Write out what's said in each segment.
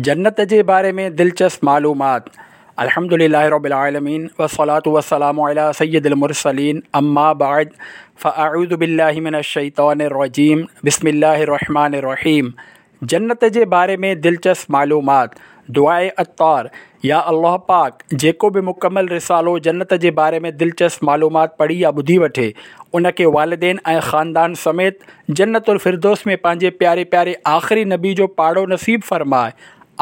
جنت جي باري ۾ دلچسپ معلومات الحمد لله رب العالمين والصلاة والسلام علي سيد المرسلين اما بعد فاعوذ بالله من الشيطان الرجيم بسم الله الرحمن الرحيم جنت جي باري ۾ دلچسپ معلومات دعاء عطار يا الله پاڪ جيڪو به مڪمل رسالو جنت جي باري ۾ دلچسپ معلومات پڙهي يا ٻڌي وٺي ان کي والدين ۽ خاندان سميت جنت الفردوس ۾ پنهنجي پياري پياري آخري نبي جو پاڙو نصيب فرماء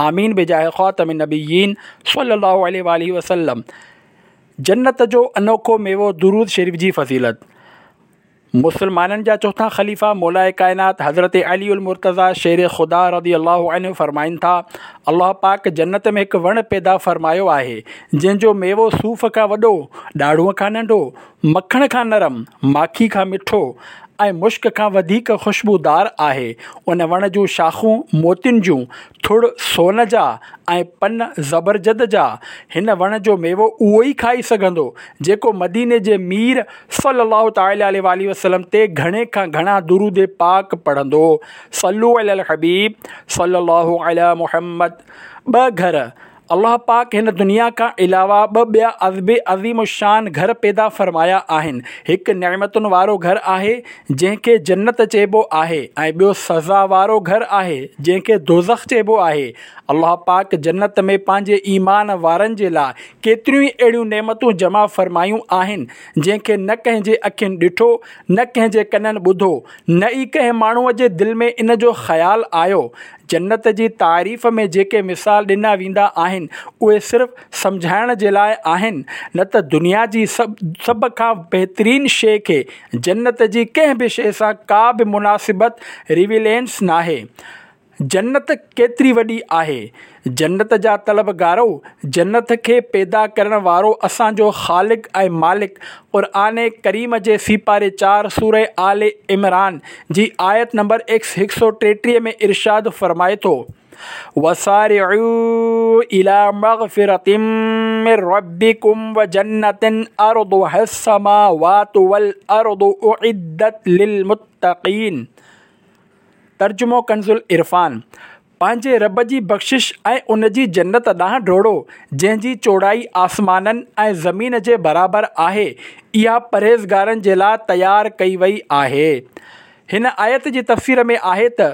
آمين بجاه خاتم النبيين صلي الله عليه واله وسلم جنت جو انوکو ميوو درود شريف جي فضيلت مسلمانن جا چوٿان خليفا مولاء ڪائنات حضرت علي المرتضيٰ شير خدا رضي الله عنه فرمائن ٿا، الله پاڪ جنت ۾ هڪ وڻ پيدا فرمايو آهي، جنهن جو ميوو صوف کان وڏو، ڏاڙهونء کان ننڍو، مکڻ کان نرم، ماکي کان مٺو ۽ مشڪ کان وڌيڪ خوشبودار آهي. ان وڻ جون شاخون موتين جون، ٿڙ سون جا ۽ پن زبرجد جا. هن وڻ جو ميوو اهو ئي کائي سگهندو، جيڪو مديني جي مير صلّي الله تعالٰي عليه واٰله وسلّم تي گهڻي کان گهڻا درود پاڪ پڙهندو. صلّو علي الحبيب صلّي الله علي محمّد ٻه گهر، الله پاڪ هن دنيا کان علاوه ٻه ٻيا به عظيم الشان گهر پيدا فرمايا آهن، هڪ نعمتن وارو گهر آهي، جنهن کي جنت چئبو آهي ۽ ٻيو سزا وارو گهر آهي، جنهن کي دوزخ چئبو آهي. الله پاڪ جنت ۾ پنهنجي ايمان وارن جي لاء ڪيتريون ئي اهڙيون نعمتون جمع فرمايون آهن، جنهن کي نه ڪنهن جي اکين ڏٺو، نه ڪنهن جي ڪنن ٻڌو، نه ئي ڪنهن ماڻهوء جي دل ۾ ان جو خيال آيو. جنت جي تعريف ۾ جيڪي مثال ڏنا ويندا آهن، اهي صرف سمجهائڻ جي لاء آهن، نه ته دنيا جي سڀ کان بهترين شيء کي جنت جي ڪنهن به شيء سان ڪا به مناسبت، Relevance، ناهي. جنت ڪيتري وڏي آهي؟ جنت جا طلبگارؤ! جنت کي پيدا ڪرڻ وارو اسان جو خالق ۽ مالڪ قرآن ڪريم جي سيپاري چار سوره آل عمران جي آيت نمبر 133 ۾ ارشاد فرمائي ٿو، وسارعوا الي مغفرة من ربڪم وجنة عرضها السماوات والارض اعدت للمتقين. ترجمو ڪنزالعرفان، پنهنجي رب جي بخشش ۽ ان جي جنت ڏانهن ڊوڙو، جنهن جي چوڙائي آسمانن ۽ زمين جي برابر آهي، اها پرهيزگارن جي لاء تيار ڪئي وئي آهي. هن آيت جي تفسير ۾ آهي ته،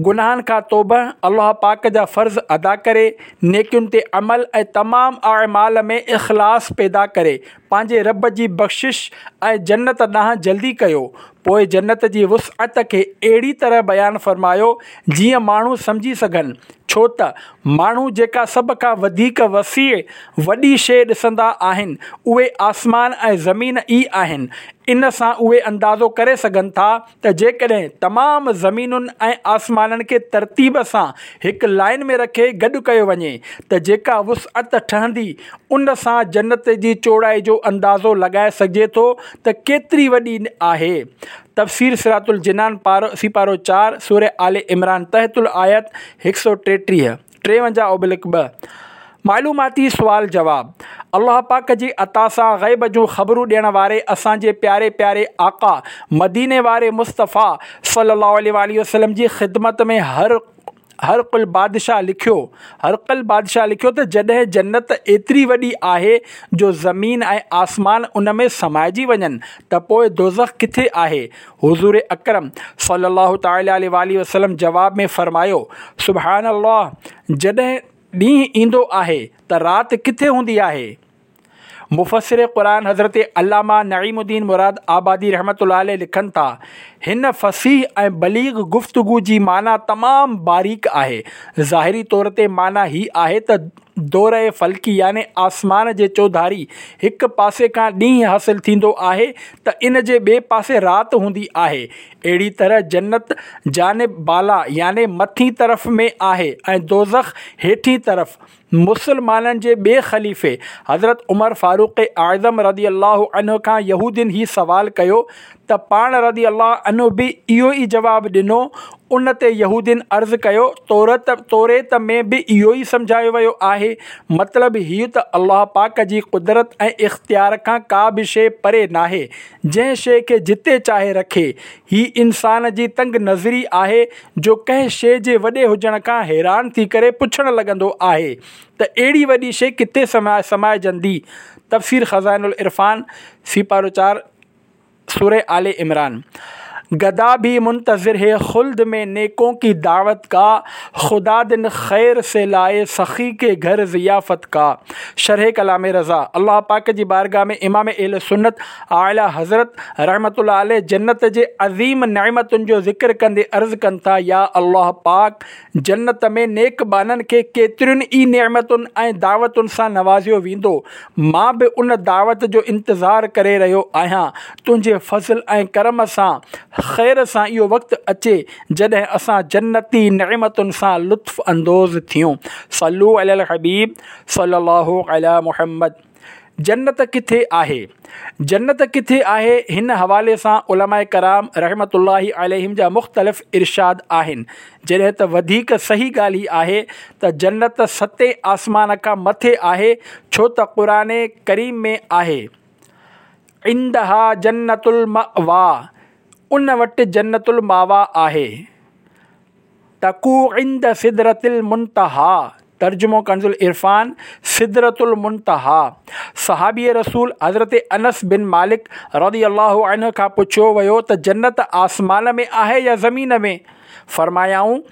گناهن کان توبه، الله پاڪ جا فرض ادا ڪري، نيڪين تي عمل ۽ تمام اعمال ۾ اخلاص پيدا ڪري، پنهنجي رب جي بخشش ۽ جنت ڏانهن جلدي ڪيو، پوء جنت جي وسعت کي اهڙي طرح بيان فرمايو جيئن ماڻهو سمجهي سگهن، ڇو ته ماڻهو جيڪا سڀ کان وڌيڪ وسيع، وڏي، شيء ڏسندا آهن اهي آسمان ۽ زمين ئي آهن، ان سان اهي اندازو ڪري سگهن ٿا ته جيڪڏهن تمام زمينن ۽ آسمانن کي ترتيب سان هڪ لائين ۾ رکي گڏ ڪيو وڃي ته جيڪا وسعت ٺهندي ان سان جنت جي چوڙائي جو اندازو لڳائي سگهجي ٿو ته ڪيتري وڏي آهي. تفسير صراط الجنان سيپارو چار، سوره آل عمران تحت الآيت 133، 53 اوبلڪ 2. معلوماتي سوال جواب، الله پاڪ جي عطا سان غيب جون خبرون ڏيڻ واري اسان جي پياري پياري آقا مديني واري مصطفيٰ صلي الله عليه واٰله وسلم جي خدمت ۾ هر هرقل بادشاهه لکيو هرقل بادشاهه لکيو ته جڏهن جنت ايتري وڏي آهي جو زمين ۽ آسمان ان ۾ سمائجي وڃن ته پوء دوزخ ڪٿي آهي؟ حضور اڪرم صلي الله تعالٰي عليه واٰله وسلم جواب ۾ فرمايو، سبحان الله جڏهن ڏينهن ايندو آهي ته رات ڪٿي هوندي آهي؟ مفسر قرآن حضرت علامه نعيم الدين مراد آبادي رحمة الله عليه لکن ٿا، هن فصيح ۽ بليغ گفتگو جي معنيٰ تمام باريڪ آهي. ظاهري طور تي معنيٰ هي آهي ته دورهء فلڪي يعني آسمان جي چوڌاري هڪ پاسي کان ڏينهن حاصل ٿيندو آهي ته ان جي ٻئي پاسي رات هوندي آهي. اهڙي طرح جنت جانب بالا يعني مٿين طرف ۾ آهي ۽ دوزخ هيٺين طرف. مسلمانن جي ٻئي خليفي حضرت عمر فاروق اعظم رضي الله عنه کان يهودين هي سوال ڪيو ته پاڻ رضي الله عنه به اهو ئي جواب ڏنو. ان تي يهودين عرض ڪيو، تورت توريت ۾ به اهو ئي سمجهايو ويو آهي. مطلب هيء ته الله پاڪ جي قدرت ۽ اختيار کان ڪا به شيء پري ناهي. جنهن شيء کي جتي چاهي رکي. هي انسان جي تنگ نظري آهي جو ڪنهن شيء جي وڏي هجڻ کان حيران ٿي ڪري پڇڻ لڳندو آهي ته اهڙي وڏي شيء ڪٿي سمائجندي. تفسير خزائن العرفان، سيپارو چار، سوره آل عمران. گدا ڀي منتظر هي خلد ۾ نيڪون ڪي دعوت ڪا، خدا دن خير سي لائي سخي ڪي گهر ضيافت ڪا. شرح ڪلام رضا، الله پاڪ جي بارگاھ ۾ امام اهل سنت اعليٰ حضرت رحمة الله عليه جنت جي عظيم نعمتن جو ذڪر ڪندي عرض ڪن ٿا، يا الله پاڪ! جنت ۾ نيڪ ٻانهن کي ڪيترين ئي نعمتن ۽ دعوتن سان نوازيو ويندو، مان به ان دعوت جو انتظار ڪري رهيو آهيان، تنهنجي فضل ۽ ڪرم سان خير سان اهو وقت اچي جڏهن اسان جنتي نعمتن سان لطف اندوز ٿيون. صلو علی الحبيب صلي الله علي محمد. جنت ڪٿي آهي؟ جنت ڪٿي آهي؟ هن حوالي سان علماء ڪرام رحمة الله عليهم جا مختلف ارشاد آهن، جڏهن ته وڌيڪ صحيح ڳالهه هي آهي ته جنت ستين آسمان کان مٿي آهي، ڇو ته قرآن ڪريم ۾ آهي، عندها جنة المأويٰ ان وٽ جنت الماويٰ آهي. تقع عند سدرة المنتهيٰ، ترجمو ڪنز العرفان، سدرة المنتهيٰ، صحابي رسول حضرت انس بن مالڪ رضي الله عنه کان پڇيو ويو ته جنت آسمان ۾ آهي يا زمين ۾؟ فرمايائون،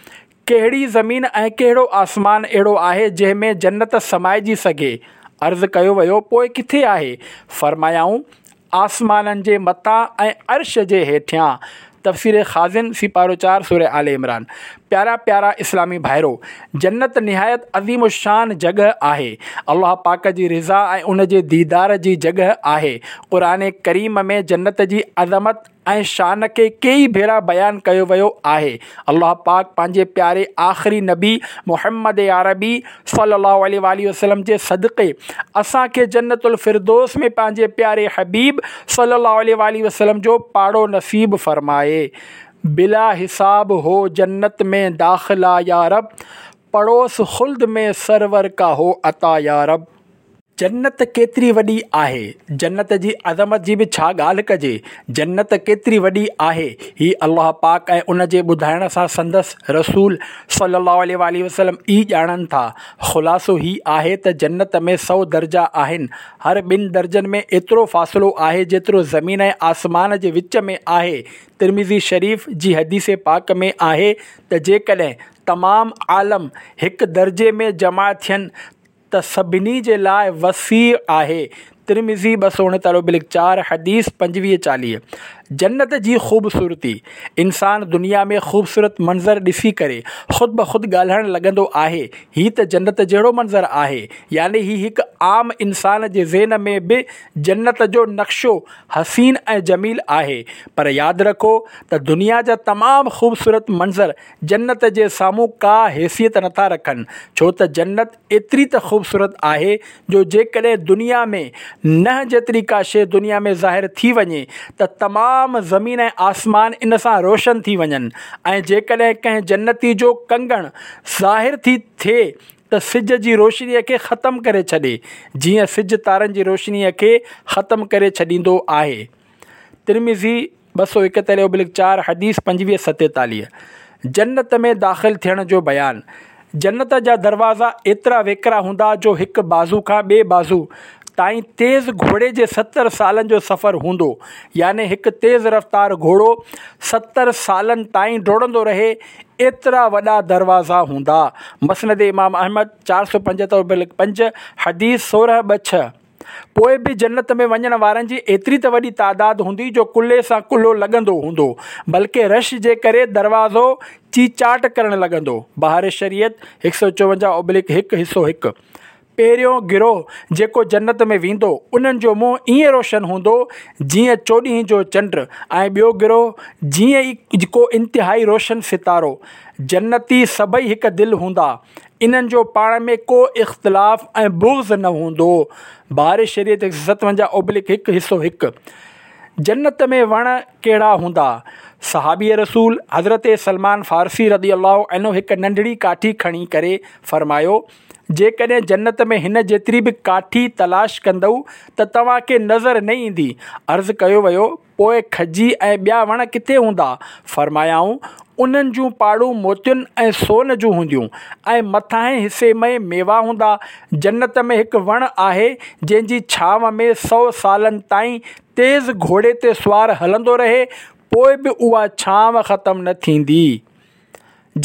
ڪهڙي زمين ۽ ڪهڙو آسمان اهڙو آهي جنهن ۾ جنت سمائجي سگهي؟ عرض ڪيو ويو، پوء ڪٿي آهي؟ فرمايائون، آسمانن جي مٿان ۽ عرش جي هيٺيان، تفسير خازن، سيپارو چار، سوره آل عمران. پيارا پيارا اسلامي ڀائرو! جنت نهايت عظيم الشان جڳهه آهي. الله پاڪ جي رضا ۽ ان جي ديدار جي جڳهه آهي. قرآن ڪريم ۾ جنت جي عظمت ۽ شان کي ڪيئي ڀيرا بيان ڪيو ويو آهي. الله پاڪ پنهنجي پياري آخري نبي محمد عربي صلي الله عليه واٰله وسلم جي صدقي اسان کي جنت الفردوس ۾ پنهنجي پياري حبيب صلي الله عليه واٰله وسلم جو پاڙو نصيب فرمائي. بلا حساب هو جنت ۾ داخلا يا رب پڙوس خلد ۾ سرور ڪا هو عطا يا رب. جنت ڪيتري وڏي آهي؟ جنت جي عظمت جي به ڇا ڳالهه ڪجي؟ جنت ڪيتري وڏي آهي؟ هي الله پاڪ ۽ ان جي ٻڌائڻ سان سندس رسول صلي الله عليه واٰله وسلم ئي ڄاڻن ٿا. خلاصو هي آهي ته جنت ۾ سؤ درجا آهن. هر ٻن درجن ۾ ايترو فاصلو آهي جيترو زمين ۽ آسمان جي وچ ۾ آهي. ترمذي شريف جي حديث پاڪ ۾ آهي ته جيڪڏهن تمام عالم هڪ درجي ۾ جمع ٿين ته سڀني جي لاء وسيع آهي، ترمذي 239 ابلڪ چار، حديث 25 40. جنت جي خوبصورتي، انسان دنيا ۾ خوبصورت منظر ڏسي ڪري خود بخود ڳالهائڻ لڳندو آهي، هي ته جنت جهڙو منظر آهي، يعني هي هڪ عام انسان جي ذهن ۾ به جنت جو نقشو حسين ۽ جميل آهي، پر ياد رکو ته دنيا جا تمام خوبصورت منظر جنت جي سامهون ڪا حيثيت نٿا رکن، ڇو ته جنت ايتري ته خوبصورت آهي جو جيڪڏهن دنيا ۾ ننهن جيتري ڪا شيء دنيا ۾ ظاهر ٿي وڃي ته تمام زمين ۽ آسمان ان سان روشن ٿي وڃن ۽ جيڪڏهن ڪنهن جنتي جو ڪنگڻ ظاهر ٿي ٿئي ته سج جي روشنيء کي ختم ڪري ڇڏي، جيئن سج تارن جي روشنيء کي ختم ڪري ڇڏيندو آهي. ترمذي، 241 ابلڪ چار، حديث 25 47. جنت ۾ داخل ٿيڻ جو بيان، جنت جا دروازا ايترا ويڪرا هوندا جو هڪ بازو کان ٻئي بازو تائين تيز گهوڙي جي 70 سالن جو سفر هوندو، يعني هڪ تيز رفتار گهوڙو 70 سالن تائين ڊوڙندو رهي ايترا وڏا دروازا هوندا. مسند امام احمد، 475 ابلڪ پنج، حديث 16 ٻه ڇهه. پوء به جنت ۾ وڃڻ وارن جي ايتري ته وڏي تعداد هوندي جو ڪلهي سان ڪلهو لڳندو هوندو، بلڪه رش جي ڪري دروازو چيچاٽ ڪرڻ لڳندو. بهار شريعت، 154 ابلڪ هڪ حصو هڪ. پهريون گروهه جيڪو جنت ۾ ويندو، انهن جو منهن ائين روشن هوندو جيئن چوڏهين جو چنڊ ۽ ٻيو گروهه جيئن ئي ڪو انتهائي روشن ستارو. جنتي سڀئي هڪ دل هوندا. انهن جو پاڻ ۾ ڪو اختلاف ۽ بغض نه هوندو. بهار شريعت 157 ابلڪ هڪ حصو هڪ. جنت ۾ وڻ ڪهڙا هوندا؟ صحابي رسول حضرت سلمان فارسي رضي الله عنه هڪ ننڍڙي ڪاٺي کڻي ڪري فرمايو، جيڪڏهن جنت ۾ هن جيتري به ڪاٺي تلاش ڪندؤ ته توهان کي نظر نه ايندي. عرض ڪيو ويو، پوء کجي ۽ ٻيا وڻ ڪٿي هوندا؟ فرمايائون، انهن جون پاڙون موتين ۽ سون جون هونديون ۽ مٿانهين حصي ۾ ميوا هوندا. جنت ۾ هڪ وڻ آهي، جنهن جي ڇانو ۾ سو سالن تائين تيز گهوڙي تي سوار هلندو رهي، پوء به اها ڇانو ختم نه ٿيندي.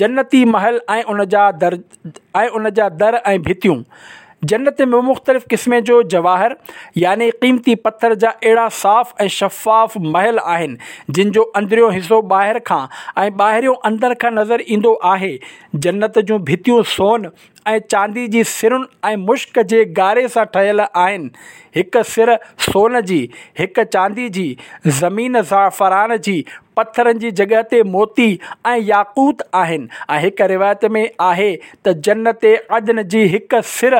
جنتي محل ۽ ان جا در ۽ ان جا در ۽ ڀتيون. جنت ۾ مختلف قسمين جو جواهر يعني قيمتي پٿر جا اهڙا صاف ۽ شفاف محل آهن، جن جو اندريون حصو ٻاهر کان ۽ ٻاهريون اندر کان نظر ايندو آهي. جنت جون ڀتيون سون ۽ چاندي جي سرن ۽ مشڪ جي گاري سان ٺهيل آهن. هڪ سر سون جي، هڪ چاندي جي، زمين زعفران جي، پٿرن جي جڳهه تي موتي ۽ ياقوت آهن ۽ هڪ روايت ۾ آهي ته جنت عدن جي هڪ سر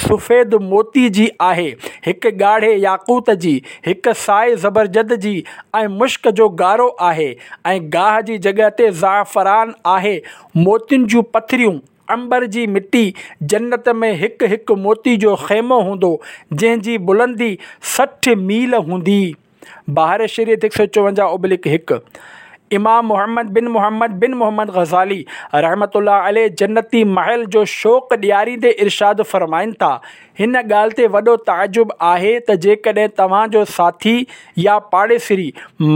سفيد موتي جي آهي، هڪ ڳاڙهي ياقوت جي، هڪ سائي زبرجد جي ۽ مشڪ جو گارو آهي ۽ گاهه جي جڳهه تي زعفران آهي، موتين جون پٿريون. عنبر جي مٽي، جنت ۾ هڪ هڪ موتي جو خيمو هوندو، جنهن جي بلندي 60 ميل هوندي. بهار شريعت 154 اوبلڪ 1. امام محمد بن محمد بن محمد غزالي رحمة الله عليه جنتي محل جو شوق ڏياريندي ارشاد فرمائن ٿا، هن ڳالهه تي وڏو تعجب آهي ته جيڪڏهن توهان جو ساٿي يا پاڙيسري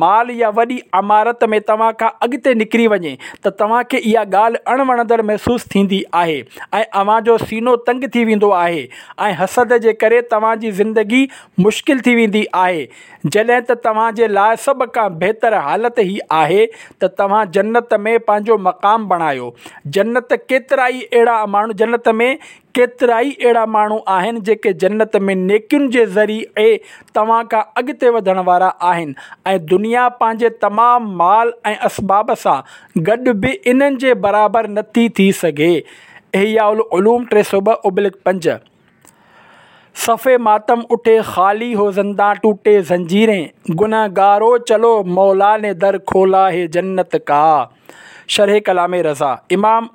مال يا وڏي عمارت ۾ توهان کان اڳتي نڪري وڃي ته توهان کي اها ڳالهه اڻ وڻندڙ محسوس ٿيندي آهي ۽ اوهان جو سينو تنگ ٿي ويندو آهي ۽ حسد جي ڪري توهان جي زندگي مشڪل ٿي ويندي آهي جڏهن ته توهان جي لاء سڀ کان بهتر حالت هي آهي ته توهان جنت ۾ پنهنجو مقام بڻايو جنت ڪيترائي اهڙا ماڻهو جنت ۾ ڪيترائي اهڙا ماڻهو آهن جيڪي جنت ۾ نيڪين جي ذريعي توهان کان اڳتي وڌڻ وارا آهن ۽ دنيا پنهنجي تمام مال ۽ اسباب سان گڏ به انهن جي برابر نٿي ٿي سگهي. احياء العلوم 302 ابلڪ 5. صف ماتم اٺي خالي هو زندان ٽوٽي زنجيرين گنهگارو چلو مولا ني در کولا هي جنت ڪا. شرح ڪلام رضا امام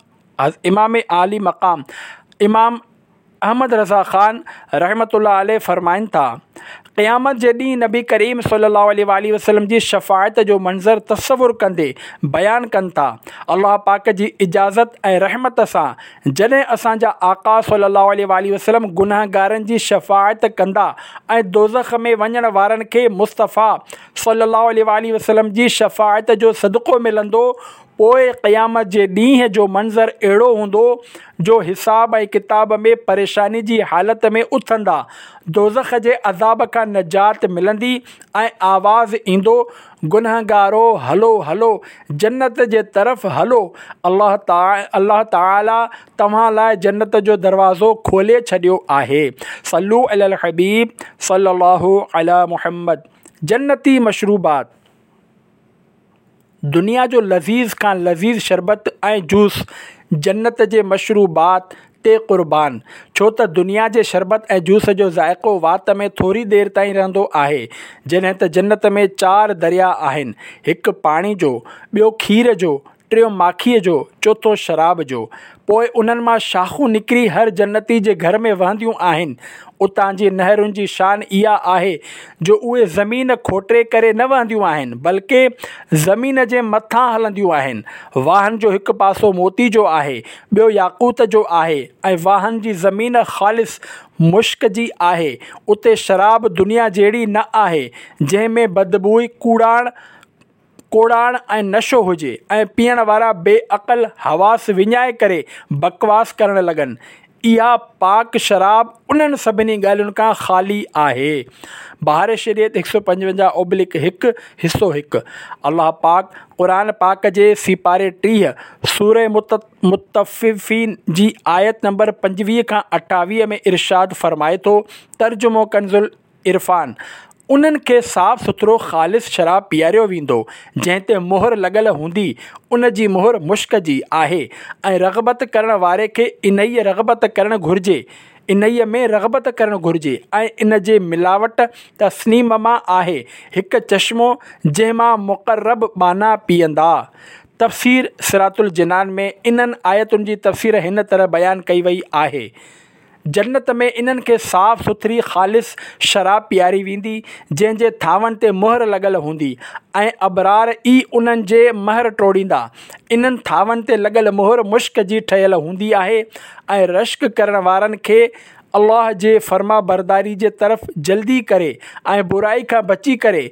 امام عالي مقام امام احمد رضا خان رحمة الله عليه فرمائن ٿا، قيامت جي ڏينهن نبي ڪريم صلي الله عليه واٰله وسلم جي شفاعت جو منظر تصور ڪندي بيان ڪن ٿا، الله پاڪ جي اجازت ۽ رحمت سان جڏهن اسان جا آقا صلي الله عليه واٰله وسلم گنهگارن جي شفاعت ڪندا ۽ دوزخ ۾ وڃڻ وارن کي مصطفيٰ صلي الله عليه واٰله وسلم جي شفاعت جو صدقو ملندو پوء قيامت جي ڏينهن جو منظر اهڙو هوندو جو حساب ۽ ڪتاب ۾ پريشاني جي حالت ۾ اٿندا، دوزخ جي عذاب کان نجات ملندي ۽ آواز ايندو، گنهگارو هلو هلو جنت جي طرف هلو، الله تعالي توهان لاء جنت جو دروازو کولي ڇڏيو آهي. صلو علي الحبيب صلي الله علي محمد جنتي مشروبات. دنيا جو لذيذ کان لذيذ شربت ۽ جوس جنت جي مشروبات تي قربان، ڇو ته دنيا جي شربت ۽ جوس جو ذائقو وات ۾ ٿوري دير تائين رهندو آهي، جڏهن ته جنت ۾ چار درياء آهن، هڪ پاڻي جو، ٻيو کير جو، ٽيون ماکيء جو، چوٿون شراب جو. پوء انهن مان شاخون نڪري هر جنتي جي گهر ۾ وهنديون آهن. اتان جي نهرن جي شان اها آهي جو اهي زمين کوٽي ڪري نه وهنديون آهن، بلڪه زمين جي مٿان هلنديون آهن. واهن جو هڪ پاسو موتي جو آهي، ٻيو ياقوت جو آهي ۽ واهن جي زمين خالص مشڪ جي آهي. اتي شراب دنيا جهڙي نه آهي، جنهن ۾ بدبوء، ڪوڙاڻ، ڪوڙاڻ ۽ نشو هجي ۽ پيئڻ وارا بي عقل حواس وڃائي ڪري بڪواس ڪرڻ لڳن. اها پاڪ شراب انهن سڀني ڳالهين کان خالي آهي. بهار شريعت 155 اوبلڪ 1 حصو 1 الله پاڪ قرآن پاڪ جي سيپاري 30 سوره مطففين جي آيت نمبر 25 کان 28 ۾ ارشاد فرمائي ٿو ترجمو ڪنزالعرفان، انهن کي صاف سٿرو خالص شراب پياريو ويندو، جنهن تي مهر لڳل هوندي، ان جي مهر مشڪ جي آهي ۽ رغبت ڪرڻ واري کي انهيء رغبت ڪرڻ گهرجي. انهيء ۾ رغبت ڪرڻ گهرجي ۽ ان جي ملاوٽ تسنيم مان آهي هڪ چشمو جنهن مان مقرب ٻانها پيئندا. تفسير صراط الجنان ۾ انهن آيتن جي تفسير هن طرح بيان ڪئي وئي آهي. جنت ۾ انهن کي صاف سٿري خالص شراب پياري ويندي، جنهن جي ٿانون تي مهر لڳل هوندي ۽ ابرار ئي انهن جي مهر ٽوڙيندا. انهن ٿانون تي لڳل مهر مشڪ جي ٺهيل هوندي آهي ۽ رشڪ ڪرڻ وارن کي الله جي فرمانبرداري جي طرف جلدي ڪري ۽ برائي کان بچي ڪري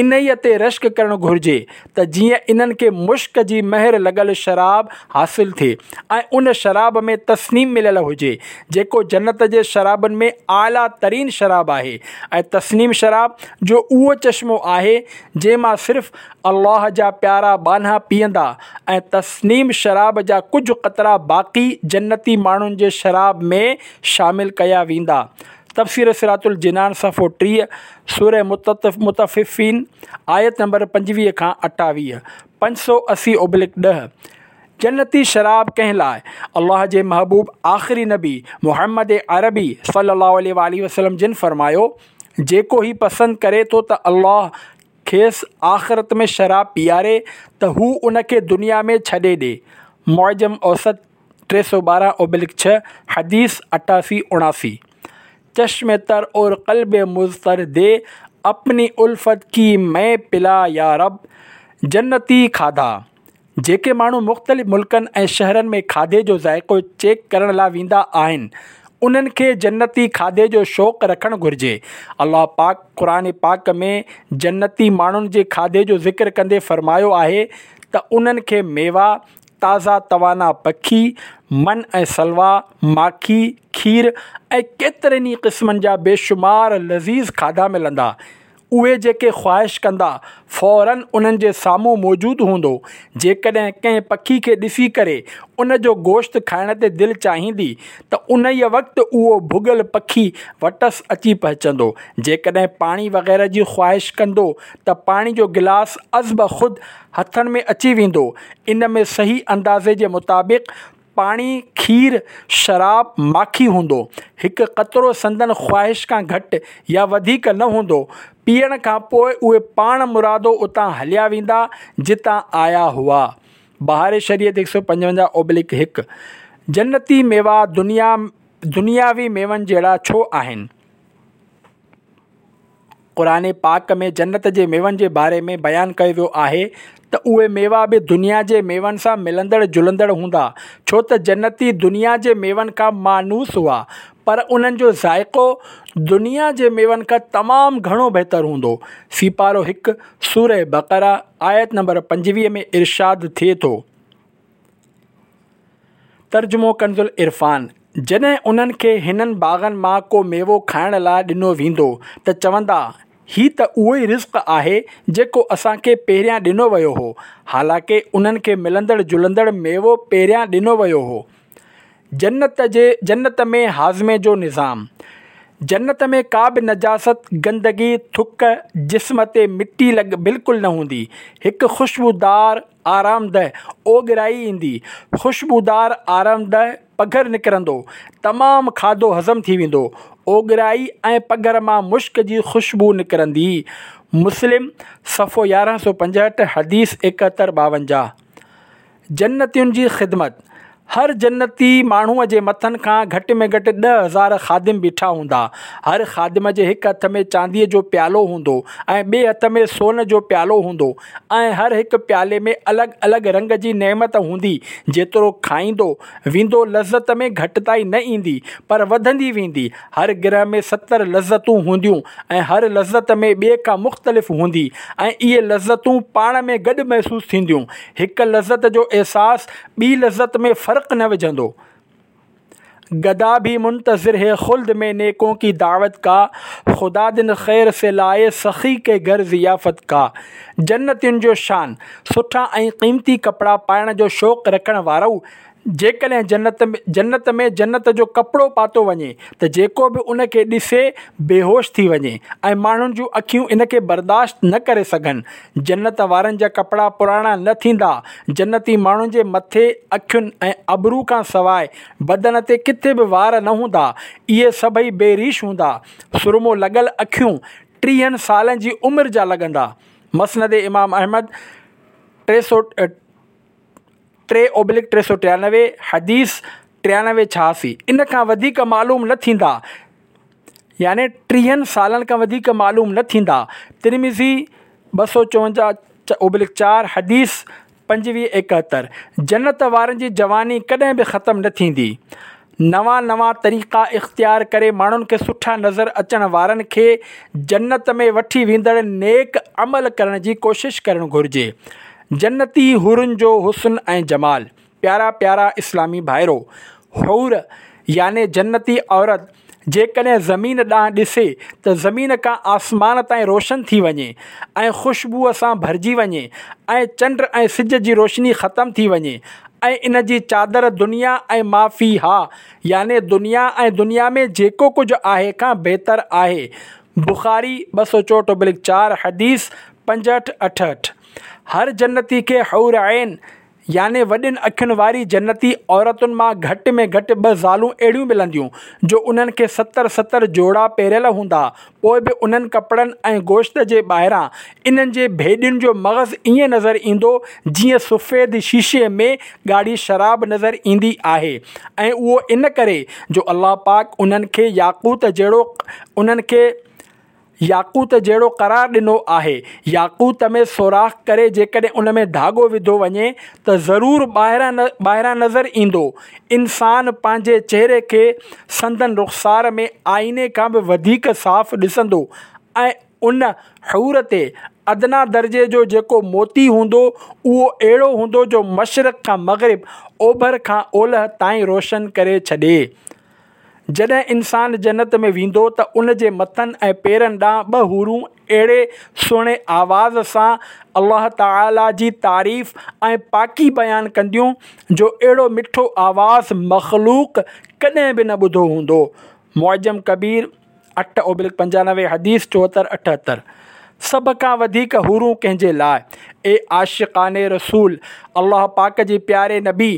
انهيء تي رشڪ ڪرڻ گهرجي ته جيئن انهن کي مشڪ جي مهر لڳل شراب حاصل ٿئي ۽ ان شراب ۾ تسنيم مليل هجي جيڪو جنت جي شرابن ۾ اعليٰ ترين شراب آهي ۽ تسنيم شراب جو اهو چشمو آهي جنهن مان صرف الله جا پيارا ٻانها پيئندا ۽ تسنيم شراب جا ڪجهه قطرا باقي جنتي ماڻهن جي شراب ۾ شامل ڪيا ويندا. تفسير صراط الجنان صفحو 30، سوره مطففين آيت نمبر 25 کان 28، 580 اوبلڪ 10. جنتي شراب ڪنهن لاء؟ الله جي محبوب آخري نبي محمد عربي صلي الله عليه واٰله وسلم جن فرمايو، جيڪو هي پسند ڪري ٿو ته الله کيس آخرت ۾ شراب پياري ته هو ان کي دنيا ۾ ڇڏي ڏي. معجم اوسط 312 اوبلڪ 6، حديث 88 79. چشم تر اور قلب مضطر the اپني الفت ڪي مي پلا يا رب. جنتي کاڌا، جيڪي ماڻهو مختلف ملڪن ۽ شهرن ۾ کاڌي جو ذائقو چيڪ ڪرڻ لا ويندا آهن، انهن کي جنتي کاڌي جو شوق رکڻ گهرجي. الله پاڪ قرآن پاڪ ۾ جنتي ماڻهن جي کاڌي جو ذڪر ڪندي فرمايو آهي ته انهن کي ميوا، تازا توانا پکي، من ۽ سلويٰ، ماکي، کير ۽ ڪيترن ئي قسمن جا بيشمار لذيذ کاڌا ملندا. اهي جيڪي خواهش ڪندا، فوراً انهن جي سامهون موجود هوندو. جيڪڏهن ڪنهن پکي کي ڏسي ڪري ان جو گوشت کائڻ تي دل چاهيندي ته انهيء وقت اهو ڀڳل پکي وٽس اچي پهچندو. جيڪڏهن پاڻي وغيره جي خواهش ڪندو ته پاڻي جو گلاس ازبخود هٿن ۾ اچي ويندو. ان ۾ صحيح اندازي جي مطابق پاڻي، کير، شراب، ماکي هوندو. هڪ قطرو سندن خواهش کان گهٽ يا وڌيڪ نه هوندو. پيئڻ کان پوء اهي پاڻ مرادو اتان هليا ويندا جتان آيا هئا. بهار شريعت 155 اوبلڪ 1. جنتي ميوا دنيا دنياوي ميون جهڙا ڇو آهن؟ قرآن پاڪ ۾ جنت جي ميون جي باري ۾ بيان ڪيو ويو آهي ته اهي ميوا به دنيا جي ميون سان ملندڙ جلندڙ هوندا، ڇو ته جنتي دنيا جي ميون کان مانوس هئا، پر انهن جو ذائقو دنيا جي ميون کان تمام گهڻو بهتر هوندو. سيپارو 1، سوره بقره، آيت نمبر 25 ۾ ارشاد ٿئي ٿو. ترجمو ڪنزالعرفان، جڏهن انهن کي هنن باغن مان ڪو ميوو کائڻ لاء ڏنو ويندو ته چوندا، هي ته اهو ئي رزق آهي جيڪو اسان کي پهريان ڏنو ويو هو، حالانڪه انهن کي ملندڙ جلندڙ ميوو پهريان ڏنو ويو هو. جنت جي جنت ۾ هاضمي جو نظام، جنت ۾ ڪا به نجاست، گندگي، ٿڪ، جسم تي مٽي لڳ بلڪل نه هوندي. هڪ خوشبودار آرامده اوڳرائي ايندي، خوشبودار آرامده پگهر نڪرندو، تمام کاڌو هضم ٿي ويندو، اوڳرائي ۽ پگهر مان مشڪ جي خوشبو نڪرندي. مسلم، صفحو 1165، حديث 71 52. جنتين جي خدمت، هر جنتي ماڻهوء جي مٿن کان گهٽ ۾ گهٽ 10,000 خادم بيٺا هوندا. هر خادم جي هڪ هٿ ۾ چانديء جو پيالو هوندو ۽ ٻئي هٿ ۾ سون جو پيالو هوندو ۽ هر هڪ پيالي ۾ الڳ الڳ رنگ جي نعمت هوندي. جيترو کائيندو ويندو لذت ۾ گهٽتائي نه ايندي پر وڌندي ويندي. هر گرهه ۾ 70 لذتون هونديون ۽ هر لذت ۾ ٻئي کان مختلف هوندي ۽ اهي لذتون پاڻ ۾ گڏ محسوس ٿينديون. هڪ لذت جو احساس ٻي لذت ۾ فرق نه وجهندو. گدا ڀي منتظر هي خلد ۾ نيڪون ڪي دعوت ڪا، خدا دن خير سي لائي سخي ڪي گهر ضيافت ڪا. جنتين جو شان، سٺا ۽ قيمتي ڪپڙا پائڻ جو شوق رکڻ وارؤ! جيڪڏهن جنت جنت ۾ جنت جو ڪپڙو پاتو وڃي ته جيڪو به ان کي ڏسي بيهوش ٿي وڃي ۽ ماڻهن جون اکيون ان کي برداشت نه ڪري سگهن. جنت وارن جا ڪپڙا پراڻا نه ٿيندا. جنتي ماڻهن جي مٿي، اکين ۽ ابرو کان سواء بدن تي ڪٿي به وار نه هوندا. اهي سڀئي بي ريش هوندا. سرمو لڳل اکيون ٽيهن سالن جي عمر جا لڳندا. مسند امام احمد 300. 3 اوبلڪ 393، حديث 93 86، ان کان وڌيڪ معلوم نه ٿيندا، يعني ٽيهن سالن کان وڌيڪ معلوم نه ٿيندا. ترمذي 254 اوبلڪ 4، حديث 25 71. جنت وارن جي جواني ڪڏهن به ختم نه ٿيندي. نوان نوان طريقا اختيار ڪري ماڻهن کي سٺا نظر اچڻ وارن کي جنت ۾ وٺي ويندڙ نيڪ عمل ڪرڻ جي ڪوشش ڪرڻ گهرجي. جنتي حورن جو حسن ۽ جمال. پيارا پيارا اسلامي ڀائرو! حور يعني جنتي عورت جيڪڏهن زمين ڏانهن ڏسي ته زمين کان آسمان تائين روشن ٿي وڃي ۽ خوشبوء سان ڀرجي وڃي ۽ چنڊ ۽ سج جي روشني ختم ٿي وڃي ۽ ان جي چادر دنيا ۽ ما فيها يعني دنيا ۽ دنيا ۾ جيڪو ڪجهه آهي کان بهتر آهي. بخاري 264 اوبلڪ 4 حديث 65 68. هر جنتي کي حور عين يعني وڏين اکين واري جنتي عورتن مان گهٽ ۾ گهٽ ٻه زالون اهڙيون ملنديون، جو انهن کي ستر ستر جوڙا پهريل هوندا، پوء به انهن ڪپڙن ۽ گوشت جي ٻاهران انهن جي ڀيڏين جو مغز ائين نظر ايندو، جيئن سفيد شيشي ۾ ڳاڙهي شراب نظر ايندي آهي ۽ اهو ان ڪري جو الله پاڪ انهن کي ياقوت جهڙو انهن کي ياقوت جهڙو قرار ڏنو آهي. ياقوت ۾ سوراخ ڪري جيڪڏهن ان ۾ ڌاڳو وڌو وڃي ته ضرور ٻاهران نظر ايندو. انسان پنهنجي چهري کي سندن رخسار ۾ آئيني کان به وڌيڪ صاف ڏسندو ۽ ان حور تي ادنيٰ درجي جو جيڪو موتي هوندو اهو اهڙو هوندو جو مشرق کان مغرب، اوڀر کان اولهه تائين روشن ڪري ڇڏي. جڏهن انسان جنت ۾ ويندو ته ان جي مٿن ۽ پيرن ڏانهن ٻه حورون اهڙي سهڻي آواز سان الله تعاليٰ جي تعريف ۽ پاڪي بيان ڪنديون جو اهڙو مٺو آواز مخلوق ڪڏهن به نه ٻڌو هوندو. معجم ڪبير 8 اوبلڪ 95 حديث 74 78. سڀ کان وڌيڪ حورون ڪنهن جي لاء؟ اي عاشقان رسول! الله پاڪ جي پياري نبي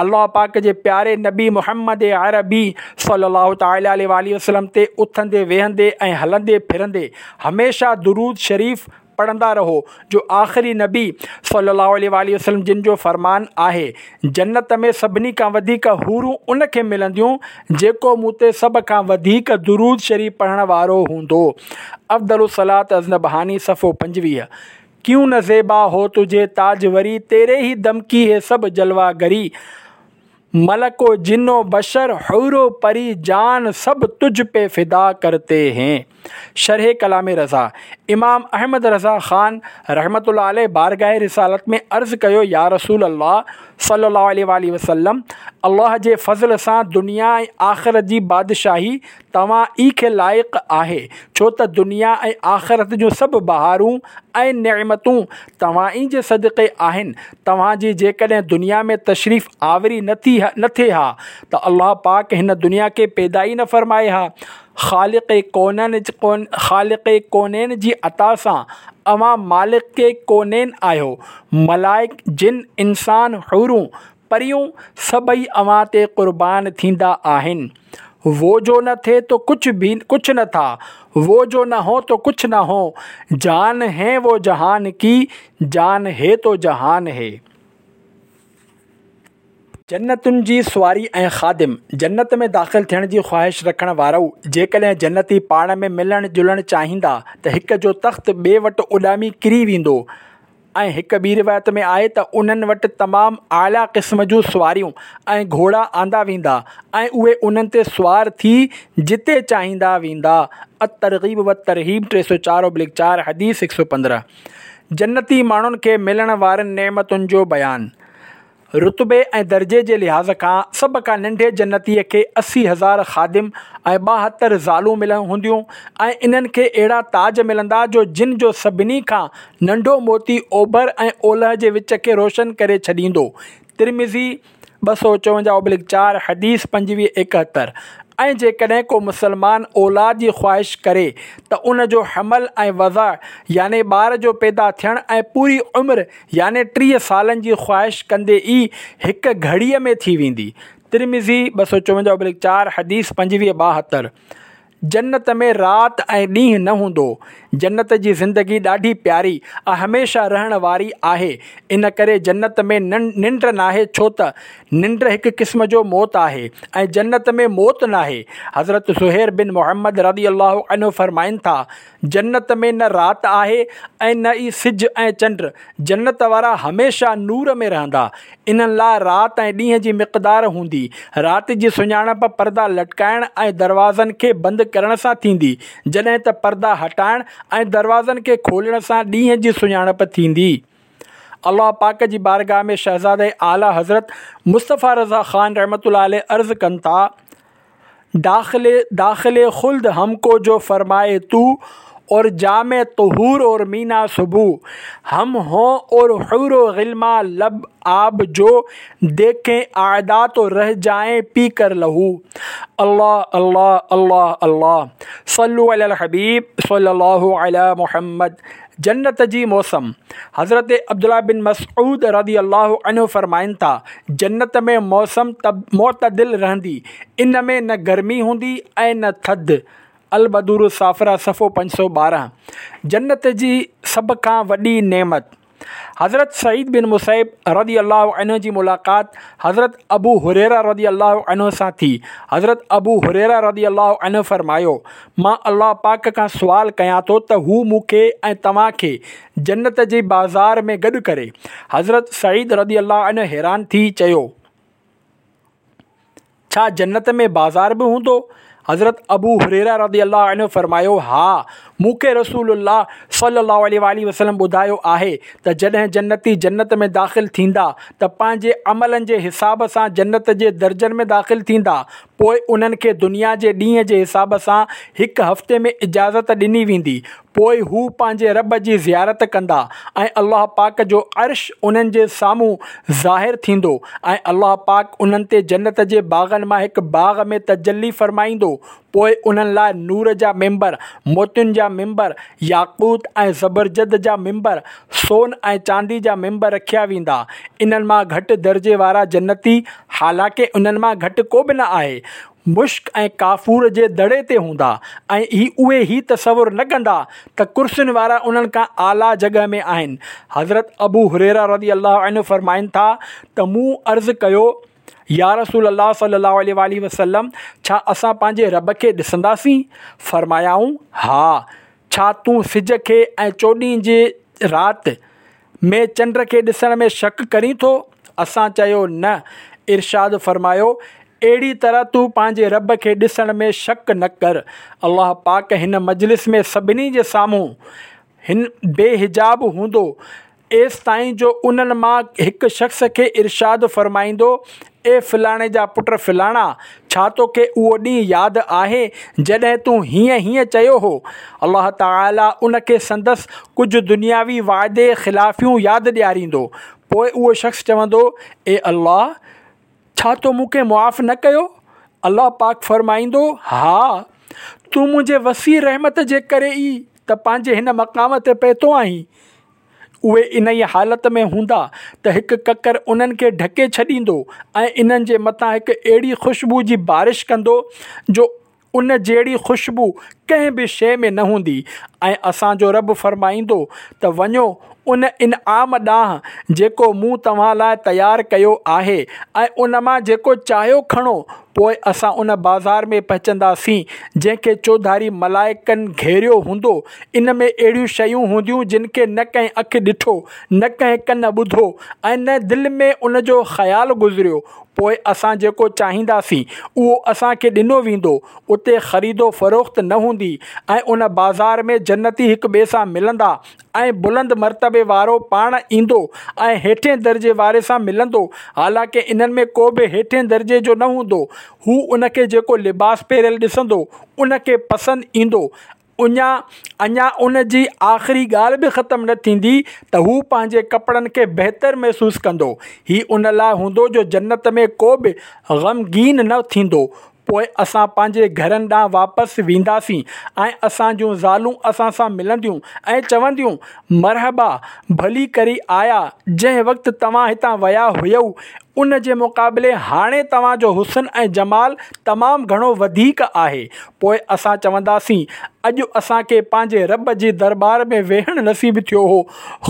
الله پاڪ جي پياري نبي محمد عربي صلّي الله تعالٰي عليه واٰله وسلّم تي اٿندي ويهندي ۽ هلندي ڦرندي هميشه درود شريف پڙهندا رهو جو آخري نبي صلّي الله عليه واٰله وسلّم جن جو فرمان آهي، جنت ۾ سڀني کان وڌيڪ حورون ان کي ملنديون جيڪو مون تي سڀ کان وڌيڪ درود شريف پڙهڻ وارو هوندو. افضل الصلوة النبهاني صفحو 25. ڪيون نه زيبا هو تجهي تاجوري تيري هي دم ڪي هي سب جلوه گري ملڪ و جن و بشر حور و پري جان سب تجهه پي فدا ڪرتي هين. شرح ڪلام رضا، امام احمد رضا خان رحمة الله عليه بارگاھ رسالت ۾ عرض ڪيو يا رسول الله صلي الله عليه واٰله وسلم الله جي فضل سان دنيا ۽ آخرت جي بادشاهي توهان ئي کي لائق آهي، ڇو ته دنيا ۽ آخرت جون سڀ بهارون ۽ نعمتون توهان ئي جي صدقي آهن، توهان جي جيڪڏهن دنيا ۾ تشريف آوري نه ٿي نه ٿئي ها ته الله پاڪ هن دنيا کي پيدا ئي نه فرمائي ها. خالق ڪونين خالق ڪونين جي عطا سان اوهان مالڪ ڪونين آهيو، ملائڪ، جن، انسان، حورون، پريون سڀئي اوهان تي قربان ٿيندا آهن. وو جو نه ٿي تو ڪڇ ڀي ڪڇ نه ٿا، وو جو نه هو تو ڪڇ نه هو، جان هين وو جهان ڪي، جان هي تو جهان هي. جنتن جي سواري ۽ خادم، جنت ۾ داخل ٿيڻ جي خواهش رکڻ وارؤ! جيڪڏهن جنتي پاڻ ۾ ملڻ جلڻ چاهيندا ته هڪ جو تخت ٻئي وٽ اڏامي ڪري ويندو. ۽ هڪ ٻي روايت ۾ آهي ته انهن وٽ تمام اعليٰ قسم جون سواريون ۽ گهوڙا آندا ويندا ۽ اهي انهن تي سوار ٿي جتي چاهيندا ويندا الترغيب والترهيب 304 اوبليڪ 4 حديث 115 جنتي ماڻهن کي ملڻ وارين نعمتن جو بيان. رتبي ۽ درجي جي لحاظ کان سڀ کان ننڍي جنتيء کي 80,000 خادم ۽ 72 زالون مليل هونديون ۽ انهن کي اهڙا تاج ملندا جو جن جو سڀني کان ننڍو موتي اوڀر ۽ اولهه جي وچ کي روشن ڪري ڇڏيندو. ترمذي 254 oblique 4، حديث 25 71. ۽ جيڪڏهن ڪو مسلمان اولاد جي خواهش ڪري ته ان جو حمل ۽ وضع يعني ٻار جو پيدا ٿيڻ ۽ پوري عمر يعني 30 سالن جي خواهش ڪندي ئي هڪ گهڙيء ۾ ٿي ويندي. ترمذي 254 oblique 4، حديث 25 72. جنت ۾ رات ۽ ڏينهن نه هوندو. جنت جي زندگي ڏاڍي پياري ۽ هميشه رهڻ واري آهي. ان ڪري جنت ۾ ننڊ ناهي ڇو ته ننڊ هڪ قسم جو موت آهي ۽ جنت ۾ موت ناهي. حضرت زهير بن محمد رضي الله عنه فرمائن ٿا، جنت ۾ نه رات آهي ۽ نه ئي سج ۽ چنڊ، جنت وارا هميشه نور ۾ رهندا. انهن لاء رات ۽ ڏينهن جي مقدار هوندي. رات جي سڃاڻپ پردا لٽڪائڻ ۽ دروازن کي بند ڪرڻ سان ٿيندي، جڏهن ته پردا هٽائڻ ۽ دروازن کي کولڻ سان ڏينهن جي سڃاڻپ ٿيندي. الله پاڪ جي بارگاهه ۾ شهزاده اعليٰ حضرت مصطفيٰ رضا خان رحمة الله عليه عرض ڪن ٿا. داخل داخل خلد هم کو جو فرمائي تو اور جام طهور اور مينا سبو هم هون اور حور و غلما لب آب جو ديکين اعدا تو ره جائين پي ڪر لهو الله الله الله الله صلو علي الحبيب صلي الله علي محمد جنت جي موسم، حضرت عبدالله بن مسعود رضي الله عنه فرمائن ٿا، جنت ۾ موسم معتدل رهندي، ان ۾ نه گرمي هوندي ۽ نه ٿڌ، البدور الصافره صفحو 512. جنت جي سڀ کان وڏي نعمت. حضرت سعيد بن مسيب رضي الله عنه جي ملاقات حضرت ابو هريره رضي الله عنه سان ٿي. حضرت ابو هريره رضي الله عنه فرمايو، مان الله پاڪ کان سوال ڪيان ٿو ته هو مون کي ۽ توهان کي جنت جي بازار ۾ گڏ ڪري. حضرت سعيد رضي الله عنه حيران ٿي چيو. ڇا جنت ۾ بازار به هوندو؟ حضرت ابو هريره رضي الله عنه فرمايو، ها، مون کي رسول الله صلي الله عليه واٰله وسلم ٻڌايو آهي ته جڏهن جنتي جنت ۾ داخل ٿيندا ته پنهنجي عملن جي حساب سان جنت جي درجن ۾ داخل ٿيندا، پوء انهن کي دنيا جي ڏينهن جي حساب سان هڪ هفتي ۾ اجازت ڏني ويندي، پوء هو پنهنجي رب جي زيارت ڪندا ۽ الله پاڪ جو عرش انهن جي سامهون ظاهر ٿيندو ۽ الله پاڪ انهن تي جنت جي باغن مان هڪ باغ ۾ تجلي فرمائيندو پوء انهن لاء نور جا منبر، موتين جا منبر، ياقوت ۽ زبرجد جا منبر، سون ۽ چاندي جا منبر رکيا ويندا. انهن مان گهٽ درجي وارا جنتي، حالانڪه انهن مان گهٽ ڪو به نه آهي، مشڪ ۽ ڪافور جي دڙي تي هوندا ۽ هي اهي هي تصور نه ڪندا ته ڪرسين وارا انهن کان اعليٰ جڳهه ۾ آهن. حضرت ابو هريره رضي الله عنه فرمائن ٿا ته مون عرض ڪيو، يا رسول الله صلي الله عليه واٰله وسلم ڇا اسان پنهنجي رب کي ڏسنداسين؟ فرمايائون، ها. ڇا تون سج کي ۽ چوڏهين جي رات ۾ چنڊ کي ڏسڻ ۾ شڪ ڪرين ٿو؟ اسان چيو، نه. ارشاد فرمايو، اهڙي طرح تون پنهنجي رب کي ڏسڻ ۾ شڪ نه ڪر. الله پاڪ هن مجلس ۾ سڀني جي سامهون هن بي حجاب هوندو ايستائين جو انهن مان هڪ شخص کي ارشاد فرمائيندو، اي فلاڻي جا پٽ فلاڻا! ڇا توکي اهو ڏينهن ياد آهي جڏهن تون هيئن هيئن چيو هو؟ الله تعاليٰ ان کي سندس ڪجهه دنياوي وعدي خلافيون ياد ڏياريندو. پوء اهو شخص چوندو، اي الله! ڇا تو مون کي معاف نه ڪيو؟ الله پاڪ فرمائيندو، ها! تون منهنجي وسيع رحمت جي ڪري ئي ته پنهنجي هن مقام تي پهتو آهين. اهي انهيء حالت ۾ هوندا ته هڪ ڪڪر انهن کي ڍڪي ڇڏيندو ۽ انهن جي مٿان هڪ اهڙي خوشبو جي بارش ڪندو جو ان جهڙي خوشبو ڪنهن به شيء ۾ نه هوندي ۽ اسان جو رب فرمائيندو ته وڃو ان انعام ڏانهن جيڪو مون توهان لاء تيار ڪيو آهي ۽ ان مان جيڪو چاهيو کڻو پوء اسان ان بازار ۾ پهچنداسين جنهن کي چوڌاري ملائڪن گهيريو هوندو ان ۾ اهڙيون شيون هونديون جن کي نه ڪنهن اک ڏٺو، نه ڪنهن ڪن ٻڌو ۽ نه دل ۾ ان جو خيال گذريو. پوء اسان جيڪو چاهينداسين، اهو اسان کي ڏنو ويندو. اتي خريد و فروخت نه هوندي ۽ ان بازار ۾ جنتي هڪ ٻئي سان ملندا ۽ بلند مرتبي وارو پاڻ ايندو ۽ هيٺين درجي واري سان ملندو، حالانڪه انهن ۾ ڪو به هيٺين درجي جو نه هوندو. هو ان کي جيڪو لباس پهريل ڏسندو، ان کي پسند ايندو. اڃا ان جي آخري ڳالهه به ختم نه ٿيندي ته هو پنهنجي ڪپڙن کي بهتر محسوس ڪندو. هي ان لاء هوندو جو جنت ۾ ڪو به غمگين نه ٿيندو. پوء اسان پنهنجي گهرن ڏانهن واپس وينداسين ۽ اسان جون زالون اسان سان ملنديون ۽ چونديون، مرحبا، ڀلي ڪري آيا، جنهن وقت توهان هتان ويا هيؤ، ان جي مقابلي هاڻي توهان جو حسن ۽ جمال تمام گهڻو وڌيڪ آهي. پوء اسان چونداسين، اڄ اسان کي پنهنجي رب جي درٻار ۾ ويهڻ نصيب ٿيو هو،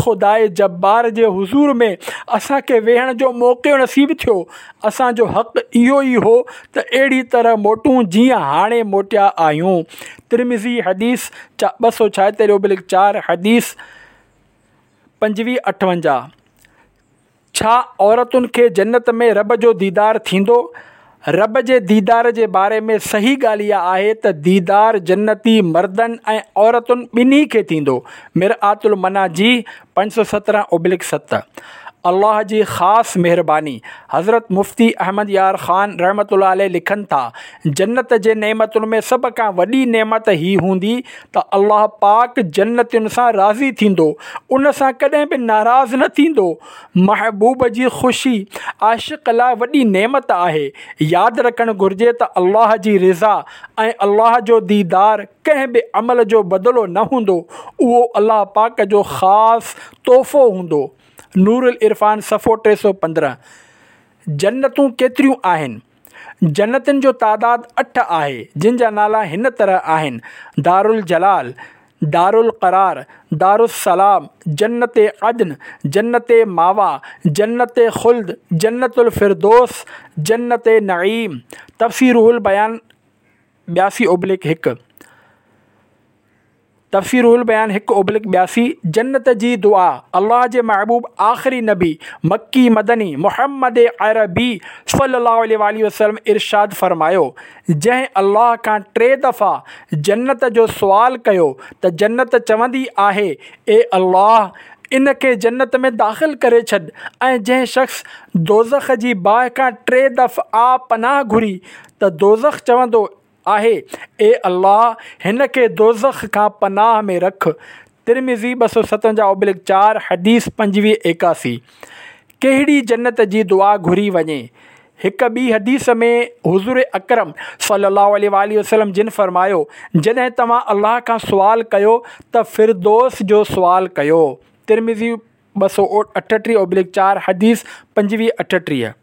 خداء جبار جي حضور ۾ اسان کي ويهڻ جو موقعو نصيب ٿيو، اسان جو حق اهو ئي هو ته اهڙي طرح موٽون جيئن هاڻي موٽيا آهيون. ترمذي حديث 276 / 4 حديث 25 58. ڇا عورتن کي جنت ۾ رب جو ديدار ٿيندو؟ رب جي ديدار جي باري ۾ صحيح ڳالهه اها آهي ته ديدار جنتي مردن ۽ عورتن ٻنهي کي ٿيندو. مرآة المناجي 517/7. الله جي خاص مهرباني. حضرت مفتي احمد يار خان رحمة الله عليه لکن ٿا، جنت جي نعمتن ۾ سڀ کان وڏي نعمت هي هوندي ته الله پاڪ جنتين سان راضي ٿيندو، ان سان ڪڏهن به ناراض نه ٿيندو. محبوب جي خوشي عاشق لاء وڏي نعمت آهي. ياد رکڻ گهرجي ته الله جي رضا ۽ الله جو ديدار ڪنهن به عمل جو بدلو نه هوندو، اهو الله پاڪ جو خاص تحفو هوندو. نورالعرفان صفحو 315. جنتون ڪيتريون آهن؟ جنتن جو تعداد اٺ آهي، جن جا نالا هن طرح آهن، دارالجلال، دارالقرار، دارالسلام، جنت عدن، جنت ماويٰ، جنت خلد، جنت الفردوس، جنت نعيم. تفسير روح البيان 82/1. تفسير روح البيان 1/82، جنت جي دعا، الله جي محبوب آخري نبي، مڪي مدني، محمد عربي صلي الله عليه واٰله وسلم ارشاد فرمايو، جنهن الله کان ٽي دفعا جنت جو سوال ڪيو ته جنت چوندي آهي، اي الله! ان کي جنت ۾ داخل ڪري ڇڏ ۽ جنهن شخص دوزخ جي باهه کان ٽي دفعا پناهه گهري ته دوزخ چوندو آهي، اي الله! هن کي دوزخ کان پناهه ۾ رک. ترمذي 257/4 حديث 25 81. ڪهڙي جنت جي دعا گهري وڃي؟ هڪ ٻي حديث ۾ حضور اڪرم صلي الله عليه واٰله وسلم جن فرمايو، جڏهن توهان الله کان سوال ڪيو ته فردوس جو سوال ڪيو. ترمذي 238/4 حديث 25 38.